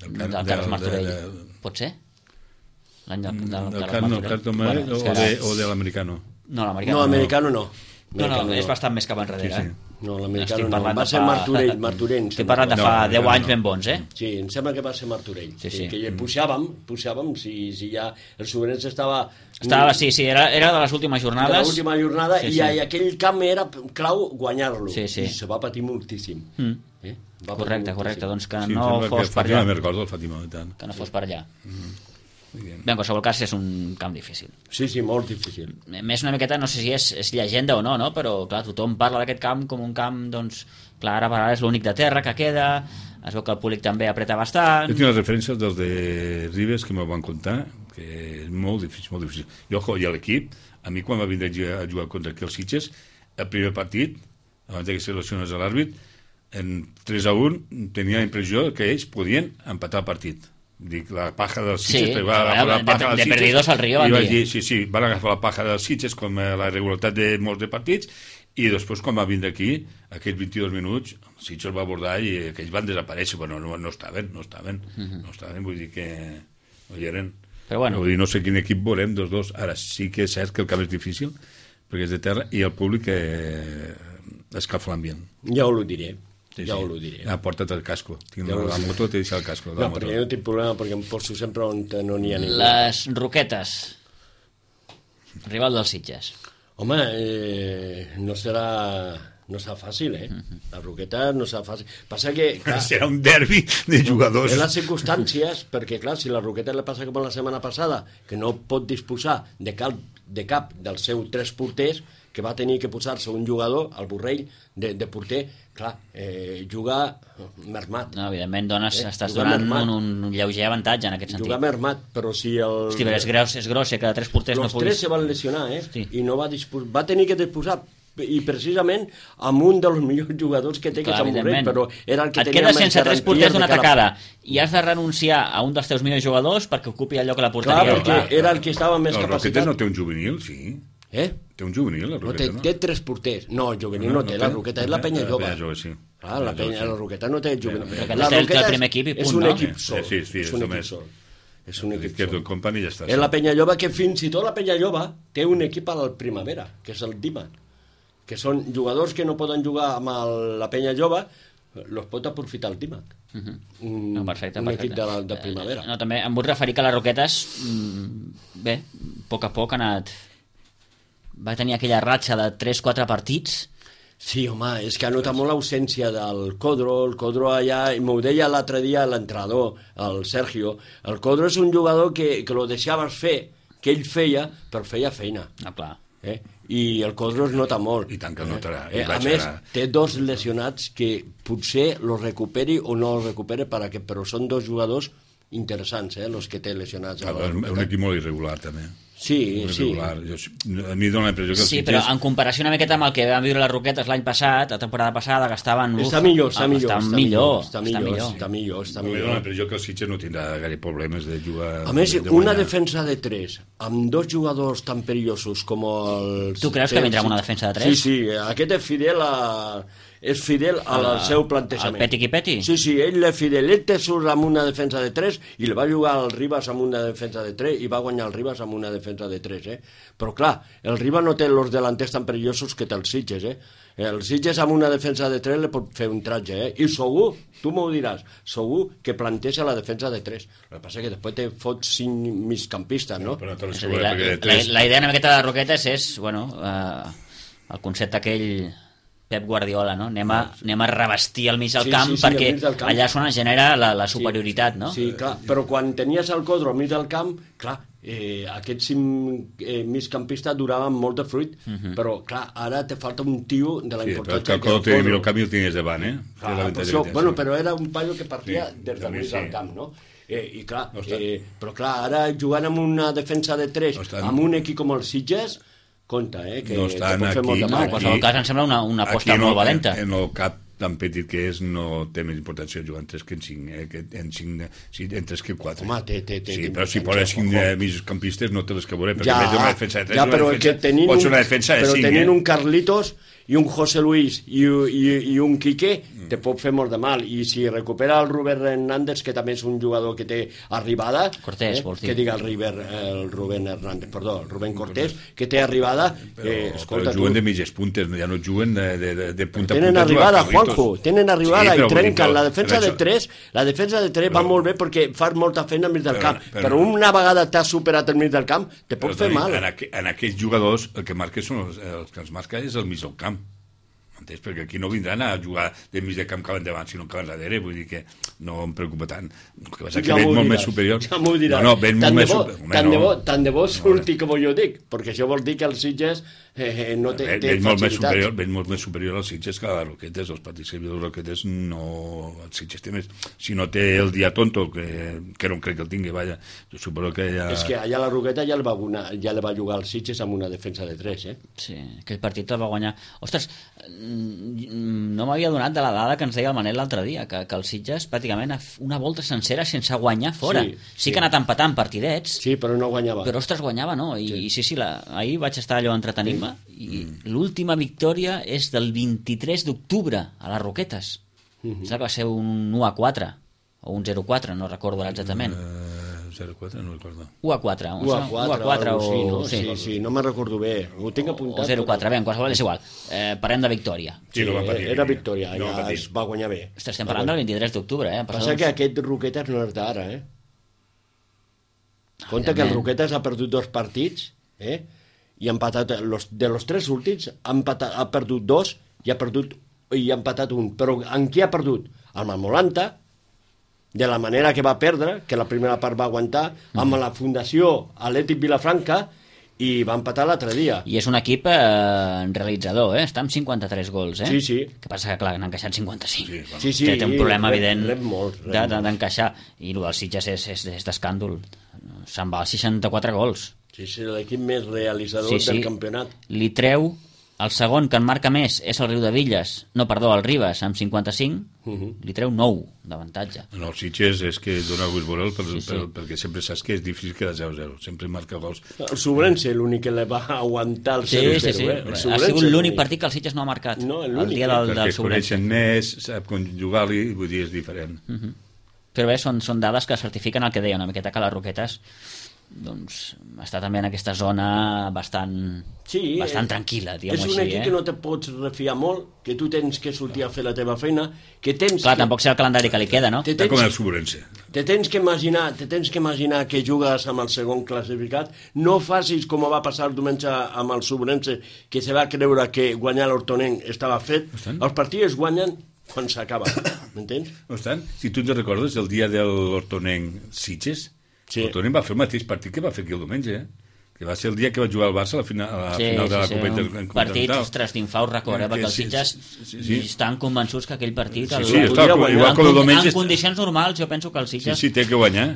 Carles del- Martorell. de- Pot ser? L'any del del Carles Carlos Martorell. Martorell és que ara- o de l'americano. No, l'americano No, americano no. No, Americano és bastant més cap enrere. Sí, sí. No, l'americano Estic no. parlant Va de ser fa- Martorell. Estic parlant de fa 10 anys ben bons, Sí, em sembla que va ser Martorell. Sí. Que pujàvem, si ja el Sobrense estava... Sí, era de les últimes de jornades. l'última jornada Sí, i sí. aquell camp era clau guanyar-lo. Sí. I se va patir moltíssim. Va patir Correcte, moltíssim. doncs que Sí, no sembla fos que per Fàtima allà. me'n recordo, el Fàtima, i tant. Que no fos per allà. Muy bien. Bé, en qualsevol cas és un camp difícil. Sí, molt difícil. Més una miqueta, no sé si és llegenda o no, però clar, tothom parla d'aquest camp com un camp, doncs, clar, ara per ara és l'únic de terra que queda, es veu que el públic també apreta bastant. Jo tinc les referències dels de Ribes que m'ho van contar, que és molt difícil, molt difícil. I, ojo, i l'equip, a mi quan va vindre a jugar contra aquí els Sitges, el primer partit, abans que se lesionés l'àrbit, en 3-1 tenia la impressió que ells podien empatar el partit. Dic, la paja dels Sitges, Sí, perquè va agafar la paja dels de Sitges, perdidos al Río, i van vaig dir. dir, sí, van agafar la paja dels Sitges com la irregularitat de molts de partits, i després quan va vindre aquí, aquells 22 minuts, el Sitges va abordar i aquells van desaparèixer, però no estaven, vull dir que no hi eren. Però bueno. Vull dir, no sé quin equip veurem dels dos. Ara sí que és cert que el camp és difícil, perquè és de terra, i el públic escalfa l'ambient. Ja ho diré. Ja ho diré. Porta't el casco. Tinc Ja ho la diré. moto, t'he deixat el casco. de la No, moto. perquè jo no tinc problema, perquè em poso sempre on no n'hi ha ningú. Les Roquetes. Rival dels Sitges. Home, no serà fàcil, La Roqueta no serà fàcil. Passa que, clar, Serà un derbi de jugadors. en les circumstàncies, perquè, clar, si la Roqueta li passa com la setmana passada, que no pot disposar de cap dels seus 3 porters, que va tenir que posar-se un jugador, el Borrell, de porter, clar, juga mermat. No, evidentment, estàs Jugar donant mermat. un lleuger avantatge en aquest sentit. Jugar mermat, però si el... Hosti, però és gros, que de 3 porters no Els puguis... 3 se van lesionar, Hosti. I no va tenir que disposar i precisament amb un dels millors jugadors que té, que és el Borrell, però era el que et tenia quedes més sense 3 garanties porters de d'una cara- tacada i has de renunciar a un dels teus millors jugadors perquè ocupi el lloc a la Clar, porteria. perquè era el que estava amb més El Roquetes capacitat. no té un juvenil, sí. Té un juvenil, la No, Roqueta, no? té 3 porters. No, el juvenil no té, la Roqueta és la penya jove. La penya jove, sí. Clar, la Roqueta no té el juvenil. Roqueta La té el Roqueta primer equip i és punt, un no? equip sol. Sí, És un equip només. sol. És un equip Que sol. el company ja està. És la penya jove que fins i tot la penya jove té un equip a la primavera, que és el Dima, que són jugadors que no poden jugar amb la penya jove, los pot aprofitar el Dima. No, perfecte, un perfecte. equip de primavera. No, també em vull referir que les Roquetes, bé, a poc ha anat... Va tenir aquella ratxa de 3-4 partits. Sí, home, és que ha notat molt l'ausència del Codro. El Codro allà, i m'ho deia l'altre dia l'entrenador, el Sergio, el Codro és un jugador que lo deixaves fer, que ell feia, però feia feina. No, clar. I el Codro es nota molt. I tant que el notarà. A més, té 2 lesionats que potser los recuperi o no los recuperi, però són 2 jugadors interessants, los que té lesionats. És un equip molt irregular, també. Sí, sí. A mi dona la impressió que els Sí, Sitges... però en comparació una miqueta amb el que van viure les Roquetes l'any passat, la temporada passada, que estaven... Està millor. A mi dona la millor. impressió que el Sitges no tindrà gaire problemes de jugar... A més, de una guanyar. defensa de 3, amb 2 jugadors tan perillosos com els... Tu creus que vindrà amb una defensa de 3? Sí, aquest és fidel és fidel al seu plantejament. El peti qui peti? Sí, ell és fidel. Ell te surt amb una defensa de 3 i li va jugar al Ribas amb una defensa de 3 i va guanyar el Ribas amb una defensa de 3, Però clar, el Ribas no té els delanters tan perillosos que té els Sitges, El Sitges amb una defensa de 3 li pot fer un tratge, I segur, tu m'ho diràs, segur que planteja la defensa de 3. El que passa és que després te fots 5 migcampistes, no? Però no És a dir, la idea una miqueta de Roquetes és, el concepte aquell Pep Guardiola, no? Anem a revestir el mig del camp perquè allà és on es genera la superioritat, no? Sí, clar, però quan tenies el Codro al mig del camp, clar, aquests 5 migcampistes duraven molt de fruit, però clar, ara te falta un tio de la importància que el Codro tenia el camí el tenies davant, però era un paio que partia des del mig del camp, no? I clar, però clar, ara jugant amb una defensa de 3 amb un equip com el Sitges, compte, que no estan pot fer molt de mal. En qualsevol cas em sembla una aposta molt valenta. En el cap tan petit que és, no té més importància jugar en 3 que en 5, en 3 que 4. Home, sí, però si poses 5 migcampistes no té les que veuré, perquè ja, una defensa de 3 ja, però pot ser una defensa de 5. Però tenint un Carlitos i un José Luis i un Quique te pot fer molt de mal, i si recupera el Rubén Hernández, que també és un jugador que té arribada, Cortés, vols dir? Que diga el Rubén Hernández, perdó, el Rubén Cortés, que té arribada, escolta, però juguen de mitges puntes, ja no juguen de punta a punta. Tenen arribada, Juanjo, tenen arribada i trenquen la defensa de 3. La defensa de 3 va molt bé perquè fas molta feina al mig del camp, però una vegada t'has superat el mig del camp te pot fer mal. En aquests jugadors el que marca són els que els marca és el mig del camp, entens? Perquè aquí no vindran a jugar de mig de camp cap endavant, sinó cap darrere, vull dir que no em preocupa tant. El que passa que veig molt més superior. Ja m'ho diràs. No, veig molt més superior. Tant de bo surti com jo dic, perquè això vol dir que els Sitges no té facilitats. Veig molt més superior als Sitges que a les Roquetes. Els partits que els Roquetes no... Els Sitges té més... Si no té el dia tonto, que no crec que el tingui, vaja, jo suposo que ja... És que allà a la Roqueta ja le va jugar als Sitges amb una defensa de 3, Sí, aquell partit el va guanyar. Ostres, no m'havia donat de la dada que ens deia el Manel l'altre dia, que el Sitges pràcticament una volta sencera sense guanyar fora. Sí que ha anat empatant partidets. Sí, però no guanyava. Però, ostres, guanyava, no? I sí, ahir vaig estar allò entretenint-me i l'última victòria és del 23 d'octubre a les Roquetes. Sembla que va ser un 1-4 o un 0-4, no recordo exactament. 0-4, no recordo. 1-4 o... Sí, no me'n recordo bé. Ho tinc apuntat. O 0-4, bé, en qualsevol és igual. Parlem de victòria. Sí, era victòria, ja es va guanyar bé. Estem parlant del 23 d'octubre, Passa que aquest Roquetes no és d'ara, Compte que el Roquetes ha perdut 2 partits, i ha empatat, de los 3 últims, ha perdut 2 i ha empatat 1. Però en qui ha perdut? El Malmolanta, de la manera que va perdre, que la primera part va aguantar, amb la Fundació Atlètic Vilafranca, i va empatar l'altre dia. I és un equip realitzador, està amb 53 gols, Sí. Que passa que, clar, n'han encaixat 55. Sí. Té un problema evident d'encaixar. I el Sitges és d'escàndol. Se'n va a 64 gols. Sí, l'equip més realitzador del campionat. Li treu el segon que en marca més és el el Ribas amb 55, li treu 9 d'avantatge. En els Sitges és que dona gust veure'l perquè sempre saps que és difícil quedar 0-0, sempre marca gols. El Sobrense, l'únic que le va aguantar el 0-0. Sí. Ha sigut l'únic partit que el Sitges no ha marcat. No, el dia del perquè Sobrense. coneixen més, sap conjugar-li, vull dir, és diferent. Però bé, són dades que certifiquen el que deia una miqueta, que les Roquetes doncs està també en aquesta zona bastant tranquil·la, diguem-ho així. És un equip que no te pots refiar molt, que tu tens que sortir a fer la teva feina, que tens... Clar, tampoc sé el calendari que li queda, no? Està com el Sobrense. Te tens que imaginar que jugues amb el segon classificat, no facis com va passar el diumenge amb el Sobrense, que se va creure que guanyar l'Hortonenc estava fet. Els partits guanyen quan s'acaba, m'entens? No obstant, si tu te recordes el dia de l'Hortonenc Sitges, l'Hortonenc va fer el mateix partit que va fer aquí el diumenge, que va ser el dia que va jugar el Barça a la final de la Copa Intercontinental. Partit, ostres, d'infaus record, perquè els Sitges estan convençuts que aquell partit igual com el diumenge en condicions normals jo penso que el Sitges té que guanyar,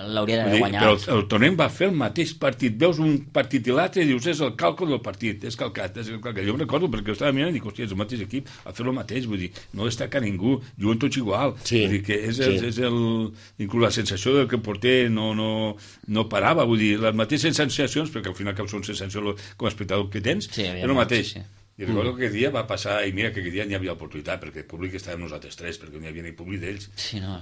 l'hauria d'haver guanyat. Però el Hortonenc va fer el mateix partit, veus un partit i l'altre i dius és el càlcul del partit, és calcat. Jo em recordo perquè jo estava mirant i dic, hòstia, és el mateix equip, a fer el mateix, vull dir, no destaca ningú, juguen tots igual, vull dir que és inclús la sensació del que el porter no parava, vull dir, les mateixes sensacions, perquè al final cap són sensacions com a espectador que tens, és el mateix. I recordo que aquell dia va passar, i mira que aquell dia n'hi havia oportunitat, perquè el públic estàvem nosaltres tres, perquè no hi havia ni públic d'ells. Sí, no,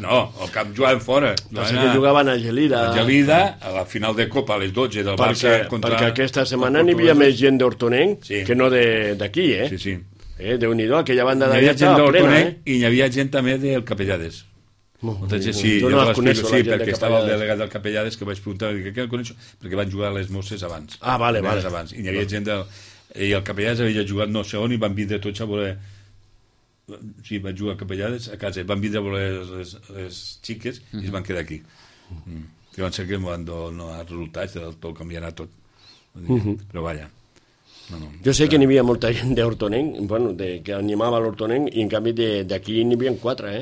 No, al camp jugaven fora. Que jugaven a Gelida. A Gelida, a la final de Copa, a les 12 del Barça contra... Perquè aquesta setmana n'hi havia més gent d'Hortonenc que no d'aquí, Sí, sí. Déu-n'hi-do, aquella banda Hi d'allà havia gent estava plena, i hi havia gent també del Capellades. Sí, jo no les coneixo, sí, perquè estava el delegat del Capellades que vaig preguntar, què el coneixo? Perquè van jugar a les Mosses abans. Ah, vale. Abans. I hi havia gent del... I el Capellades havia jugat no sé on i van vindre tots a voler... Sí, van jugar a Capellades a casa. Van vindre a voler les xiques i es van quedar aquí. Que van ser que van donar resultats del tot canviarà tot. Però vaja. No. Jo sé que n'hi havia molta gent d'Hortonenc, bueno, que animava l'Hortonenc, i en canvi d'aquí n'hi havia 4,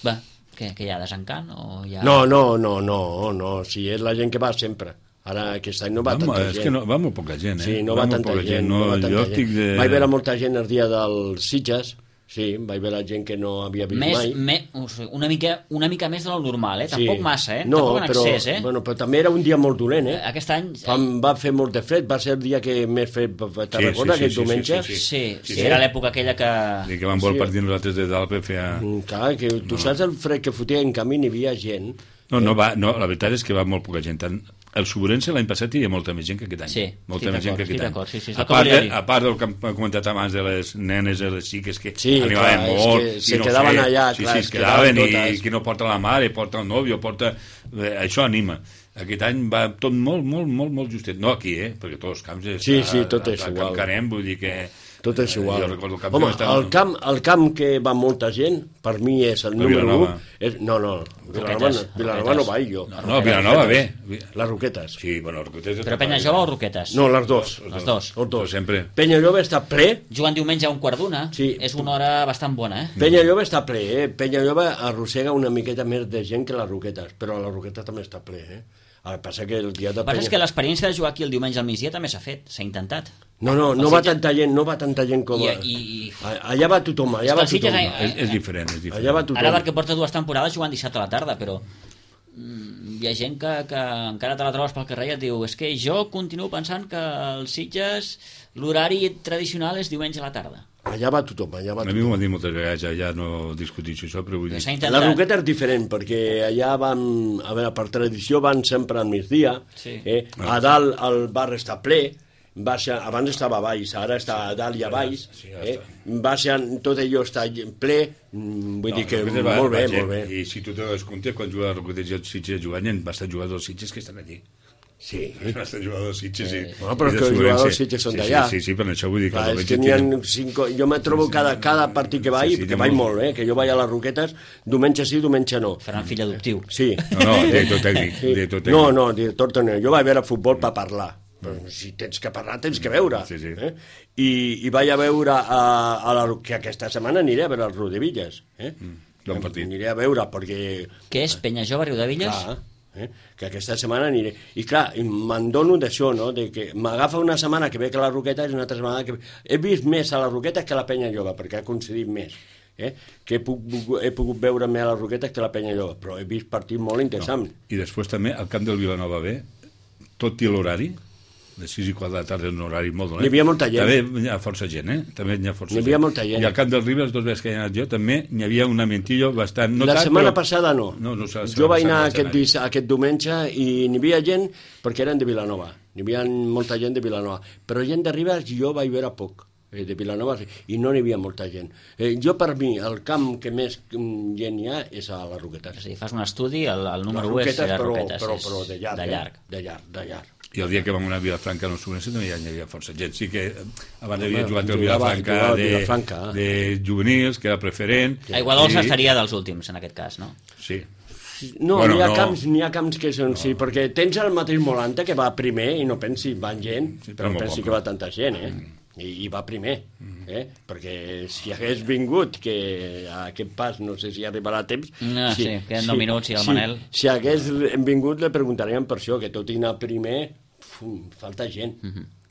Va, que hi ha desencant o hi ha... No, si és la gent que va sempre. Ara aquest any no va tanta gent. És que no, va molt poca gent, Sí, no va tanta gent. Vaig veure molta gent el dia dels Sitges, sí, vaig veure gent que no havia vist mai. Una mica més del normal, Tampoc massa, No, tampoc en excés, Bueno, però també era un dia molt dolent, Aquest any... Va fer molt de fred, va ser el dia que més fred... Te'n recordes, aquest diumenge? Sí, era l'època aquella que... I que van voler partir nosaltres de dalt per fer... Clar, que tu saps el fred que fotia en camí, n'hi havia gent... No, la veritat és que va molt poca gent. El Sobrense l'any passat hi havia molta més gent que aquest any. Sí, molta més gent que aquest any. Sí, a part del que hem comentat abans de les nenes i les xiques que arribaven molt... Se quedaven allà, clar. Sí, es quedaven i qui no porta la mare, porta el nòvio, això anima. Aquest any va tot molt justet. No aquí, perquè tots els camps... Sí, tot és igual. A Canem, vull dir que... Tot és igual. Home, el camp que va molta gent, per mi és el número 1. No, Vilanova no vaig jo. No, Vilanova bé. Les Roquetes. Sí, bueno, Roquetes... Però Penyajove o Roquetes? No, les dos. Les dos. Sempre. Penyajove està ple. Jugant diumenge a 1:15. Sí. És una hora bastant bona, Penyajove està ple, Penyajove arrossega una miqueta més de gent que les Roquetes, però la Roqueta també està ple, El que passa que el dia de Penya... és que l'experiència de jugar aquí el diumenge al migdia també s'ha fet, s'ha intentat. No va tanta gent com... Allà va tothom, És diferent. Allà va tothom. Ara perquè porta 2 temporades jugant dissabte a la tarda, però hi ha gent que encara te la trobes pel carrer i et diu és que jo continuo pensant que els Sitges l'horari tradicional és diumenge a la tarda. Allà va tothom, A mi m'ho han dit moltes vegades, ja no discuteixo això, però vull dir... La Roqueta és diferent, perquè allà van, a veure, per tradició van sempre al migdia, a dalt el bar està ple, abans estava a baix, ara està a dalt i a baix, tot allò està ple, vull dir que molt bé. I si tu te das compte, quan juga a Roquetes i els Sitges jugant, hi ha bastant jugadors dels Sitges que estan allí. Sí. Bastant jugadors dels Sitges, sí. No, però que els jugadors dels Sitges són d'allà. Sí, per això vull dir que... És que n'hi ha 5... Jo me trobo cada partit que vaig, que vaig molt, que jo vaig a les Roquetes, diumenge sí, diumenge no. Faran fill adoptiu. Sí. No, director tècnic. No, director tècnic. Jo vaig veure futbol per parlar. Però si tens que parlar, tens que veure. I vaig a veure que aquesta setmana aniré a veure els Riudevilles. Bon partit. Aniré a veure, perquè... Què és, Penyajove, Riudevilles? Clar, que aquesta setmana aniré. I clar, me'n dono d'això, no? De que m'agafa una setmana que veig a la Roqueta i una altra setmana que... He vist més a la Roqueta que a la Penyajove, perquè ha coincidit més. Que he pogut veure més a la Roqueta que a la Penyajove, però he vist partits molt interessants. I després també, al camp del Vilanova B, tot i l'horari, de 6 i 4 de la tarda, un horari molt dolent. Hi havia molta gent. També hi ha força gent, També hi ha força gent. Hi havia molta gent. I al camp del Ribes, 2 vegades que he anat jo, també hi havia un amentillo bastant... La setmana passada no. Jo vaig anar aquest diumenge i n'hi havia gent perquè eren de Vilanova. N'hi havia molta gent de Vilanova. Però gent de Ribes jo vaig veure poc. De Vilanova i no n'hi havia molta gent. Jo, per mi, el camp que més gent hi ha és a les Roquetes. És a dir, fas un estudi, el número 1 és les Roquetes. Però de llarg. I el dia que vam anar a Vilafranca, no Sobrense, també hi havia força gent. Sí que abans havia jugat el Vilafranca de juvenils, que era preferent. Aigua Dolça estaria dels últims, en aquest cas, no? Sí. No, n'hi ha camps que són... Sí, perquè tens el mateix Molanta, que va primer, i no pensi, van gent, però no pensi que va tanta gent, I va primer, perquè si hagués vingut, que a aquest pas no sé si arribarà a temps... No, sí, queden 9 minuts i el Manel... Si hagués vingut, li preguntaríem per això, que tot i anar primer, falta gent.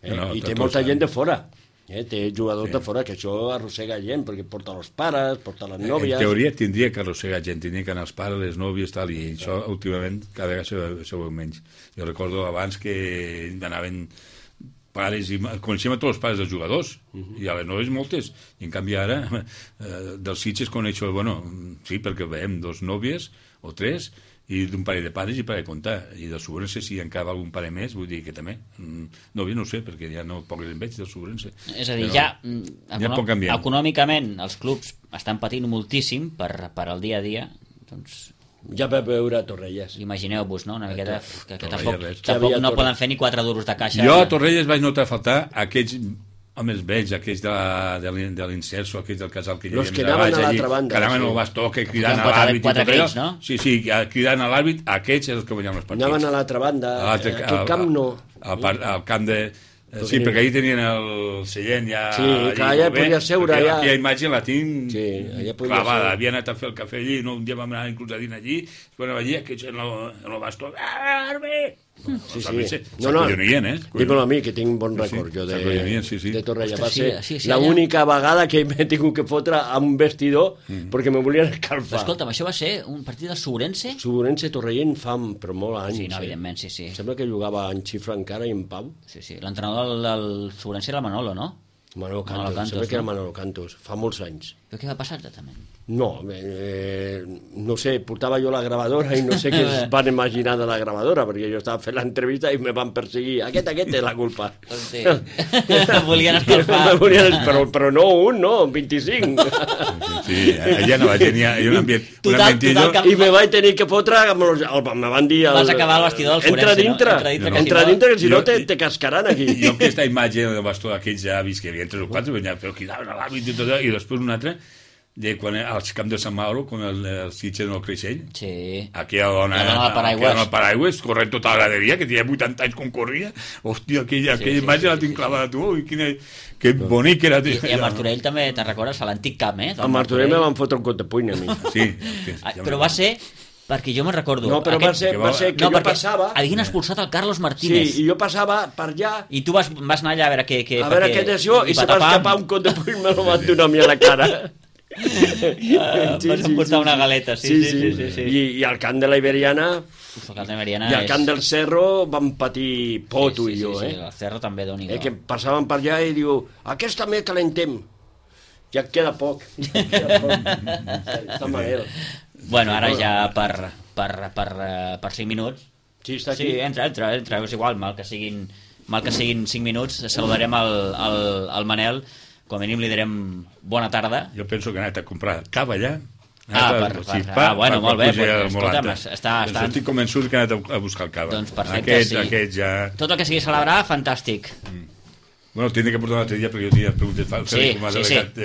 I té molta gent de fora. Té jugadors de fora, que això arrossega gent, perquè porta els pares, porta les nòvies... En teoria tindria que arrossegar gent, tindria que anar els pares, les nòvies, tal, i això últimament cada vegada se veu menys. Jo recordo abans que anaven pares i coneixem a tots els pares dels jugadors i a les noves moltes, i en canvi ara dels Sitges coneixo, bueno, sí, perquè veiem 2 nòvies o 3 i d'un parell de pares i per a comptar, i del Sobrense si encara algun pare més, vull dir que també nòvia no ho sé, perquè ja no poques en veig del Sobrense. És a dir, econòmicament els clubs estan patint moltíssim per al dia a dia, doncs ja per veure Torrelles. Imagineu-vos, no? Una miqueta que tampoc no poden fer ni 4 duros de caixa. Jo a Torrelles vaig notar faltar aquells homes vells, aquells de l'Inserso, aquells del casal que hi havia que anaven a l'altra banda. Que anaven al bastó, que cridant a l'àrbit. 4 crits, no? Sí, cridant a l'àrbit, aquests eren els que guanyaven els partits. Anaven a l'altra banda, aquest camp no. Al camp de... Sí, perquè ahir tenien el seient ja... Sí, que allà podia seure. Aquella imatge la tinc clavada. Havia anat a fer el cafè allí, un dia vam anar inclús a dinar allí, quan allí, aquests en el bastó... Àrbit! Sí. S'acollonien, Dímelo a mi, que tinc bon record jo de Torrella. Va ser l'única vegada que m'he tingut que fotre a un vestidor perquè me volien escalfar. Escolta'm, això va ser un partit del Sobrense? Sobrense Torrellent fa però molt anys. Sí, no, evidentment, sí. Sembla que jugava en xifra encara i en Pau. Sí. L'entrenador del Sobrense era el Manolo, no? Manolo Cantos, sembla que era Manolo Cantos, fa molts anys. Però què va passar exactament? No, no sé, portava jo la gravadora i no sé què es van imaginar de la gravadora, perquè jo estava fent l'entrevista i me van perseguir. Aquest té la culpa. Sí. Volien escalfar. Però no un, no, 25. Sí, allà no va tenir un ambient... I me vaig tenir que fotre, me van dir... Vas acabar al vestidor del Forense, no? Entra dintre, que si no te cascaran aquí. Jo aquesta imatge del bastó d'aquells avis que havien 3 o 4, però cridaven a l'àvit i tot, i després un altre de quan als camps de Sant Mauro, quan el Sitges no creixell, aquella dona al paraigües, corrent tota la graderia, que tenia 80 anys com corria, hòstia, aquella imatge la tinc clavada tu, i que bonic era. I a Martorell també, te'n recordes, a l'antic camp, A Martorell me van fotre un cot de puny a mi. Sí. Però va ser... Perquè jo me'n recordo... No, però va ser que jo passava... Havien expulsat el Carlos Martínez. Sí, i jo passava per allà... I tu vas anar allà a veure què... A veure què decisió, i se va escapar un cot de puny, me lo van donar a mi a la cara. Vas emportar una galeta, sí. I al camp de la Iberiana... I al camp del Cerro van patir Poto i jo, Sí, el Cerro també, doni. Que passaven per allà i diu, aquest també calentem. Ja queda poc. Està manera. Bueno, ara ja per 5 minuts. Sí, està aquí. Sí, entra, és igual, mal que siguin 5 minuts, saludarem al Manel, com a mínim li direm bona tarda. Jo penso que ha anat a comprar cava allà. Bueno, molt bé, escolta'm, estic convençut que ha anat a buscar el cava. Doncs perfecte, aquest ja... Tot el que sigui celebrar, fantàstic. Bueno, tindré que portar un altre dia perquè jo tenia preguntes Sí.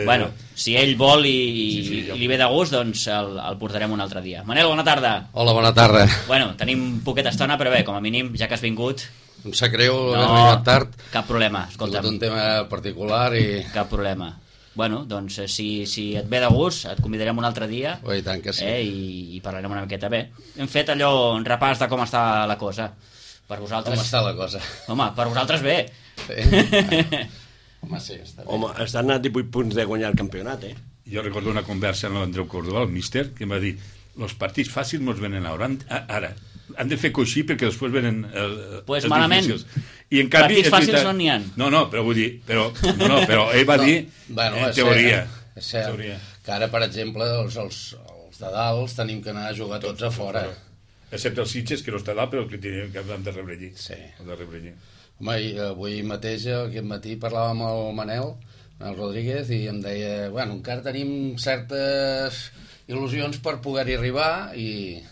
Bueno, si ell vol i li ve de gust, doncs el portarem un altre dia. Manel, bona tarda. Hola, bona tarda. Bueno, tenim poqueta estona, però bé, com a mínim, ja que has vingut... Em sap greu haver arribat tard. Cap problema, escolta'm. Un tema particular i... Cap problema. Bueno, doncs si et ve de gust, et convidarem un altre dia. I tant que sí. I parlarem una miqueta bé. Hem fet allò, un repàs de com està la cosa. Per vosaltres... Com està la cosa? Home, per vosaltres bé. Sí. Home, sí, està bé. Home, estan a 18 punts de guanyar el campionat, Jo recordo una conversa amb l'Andreu Córdoba, el míster, que em va dir, els partits fàcils no es venen ara. Han de fer coixí perquè després venen els malament. difícils. I en canvi, partits fàcils no n'hi ha. No, però vull dir... Però ell va dir, en teoria. És cert que ara, per exemple, els de dalt tenim que anar a jugar tots a fora. Excepte els Sitges, que no està dalt, però que hem de rebre allí. Sí. Home, avui mateix, aquest matí, parlava amb el Manel Rodríguez, i em deia, bueno, encara tenim certes il·lusions per poder-hi arribar i...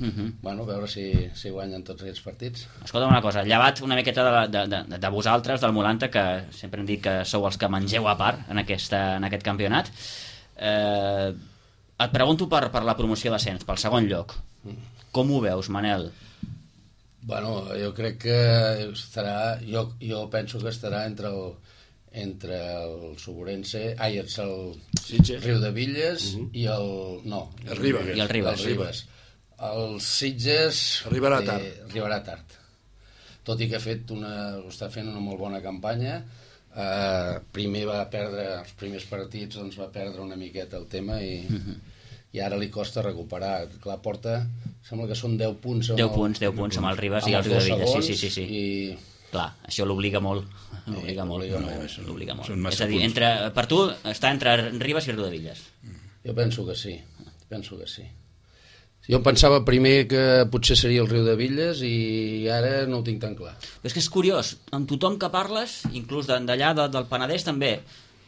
Bueno, a veure si guanyen tots aquests partits. Escolta una cosa, llevat una miqueta de vosaltres, del Molanta, que sempre hem dit que sou els que mengeu a part en aquest campionat, et pregunto per la promoció d'ascens, pel segon lloc. Com ho veus, Manel? Bueno, jo crec que estarà... Jo penso que estarà entre el Sobrense, el Riudevilles i el... No, el Ribes. I el Ribes. El Sitges arribarà tard. Tot i que està fent una molt bona campanya. Primer va perdre els primers partits, doncs va perdre una miqueta el tema i ara li costa recuperar. Clar, porta, sembla que són 10 punts 10 punts amb el Ribes i el Riudevilles. Sí. I Clar, això l'obliga molt. L'obliga molt. Són massa És a dir, per tu està entre Ribes i Riudevilles. Jo penso que sí. Jo pensava primer que potser seria el Riudevilles i ara no ho tinc tan clar. Però és que és curiós, amb tothom que parles, inclús d'allà del Penedès també,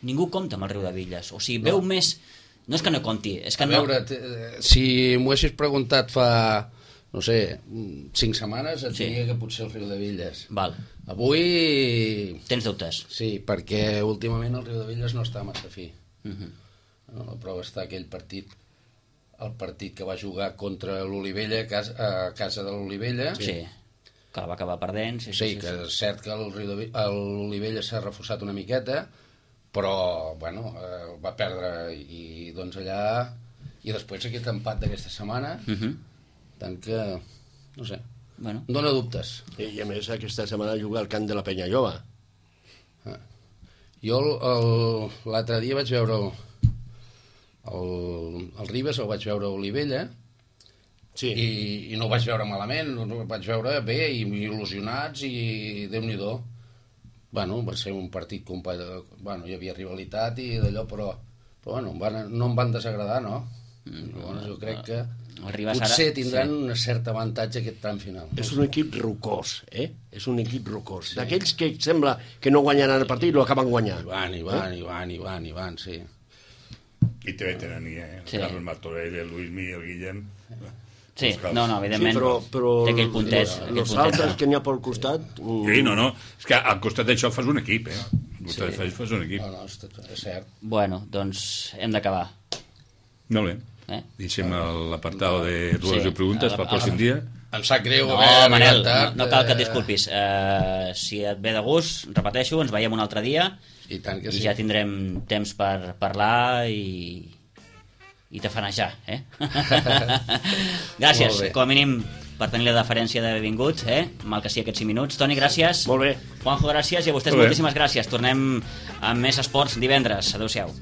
ningú compta amb el Riudevilles. O sigui, veu més... No és que no compti, és que A veure, si m'ho haguessis preguntat fa, no sé, 5 setmanes, et diria que potser el Riudevilles. Val. Avui... Tens dubtes? Sí, perquè últimament el Riudevilles no està massa fi. No, la prova està aquell partit, el partit que va jugar contra l'Olivella a casa de l'Olivella. Sí, que la va acabar perdent. Sí, que és cert que l'Olivella s'ha reforçat una miqueta, però, bueno, va perdre i doncs allà... I després aquest empat d'aquesta setmana, tant que, no sé, bueno. Em dóna dubtes. I a més aquesta setmana juga al camp de la Penya Lloba. Jo l'altre dia vaig veure el Ribes, el vaig veure a Olivella, Sí. i no ho vaig veure malament, ho vaig veure bé i il·lusionats i Déu-n'hi-do. Bueno, va ser un partit bueno, hi havia rivalitat i d'allò, però bueno, no em van desagradar, no? Llavors jo crec que potser tindran un cert avantatge aquest tram final. És un equip rocós, És un equip rocós. D'aquells que sembla que no guanyaran el partit, lo acaben guanyant. I van, sí. I també tenen el Carles Martorell, el Luismi, el Guillem... Sí, no, evidentment, però té aquell puntet. Els altres que n'hi ha pel costat... Sí, no, és que al costat d'això fas un equip, Al costat d'això fas un equip. No, és cert. Bueno, doncs hem d'acabar. Molt bé. Deixem l'apartado de dues preguntes pel pròxim dia. Em sap greu No, Manel, no cal que et disculpis. Si et ve de gust, repeteixo, ens veiem un altre dia i tant que sí. I ja tindrem temps per parlar i tafanejar, Gràcies, com a mínim, per tenir la deferència d'haver vingut, mal que sigui aquests 5 minuts. Toni, gràcies. Molt bé. Juanjo, gràcies, i a vostès moltíssimes gràcies. Tornem amb més esports divendres. Adéu-siau.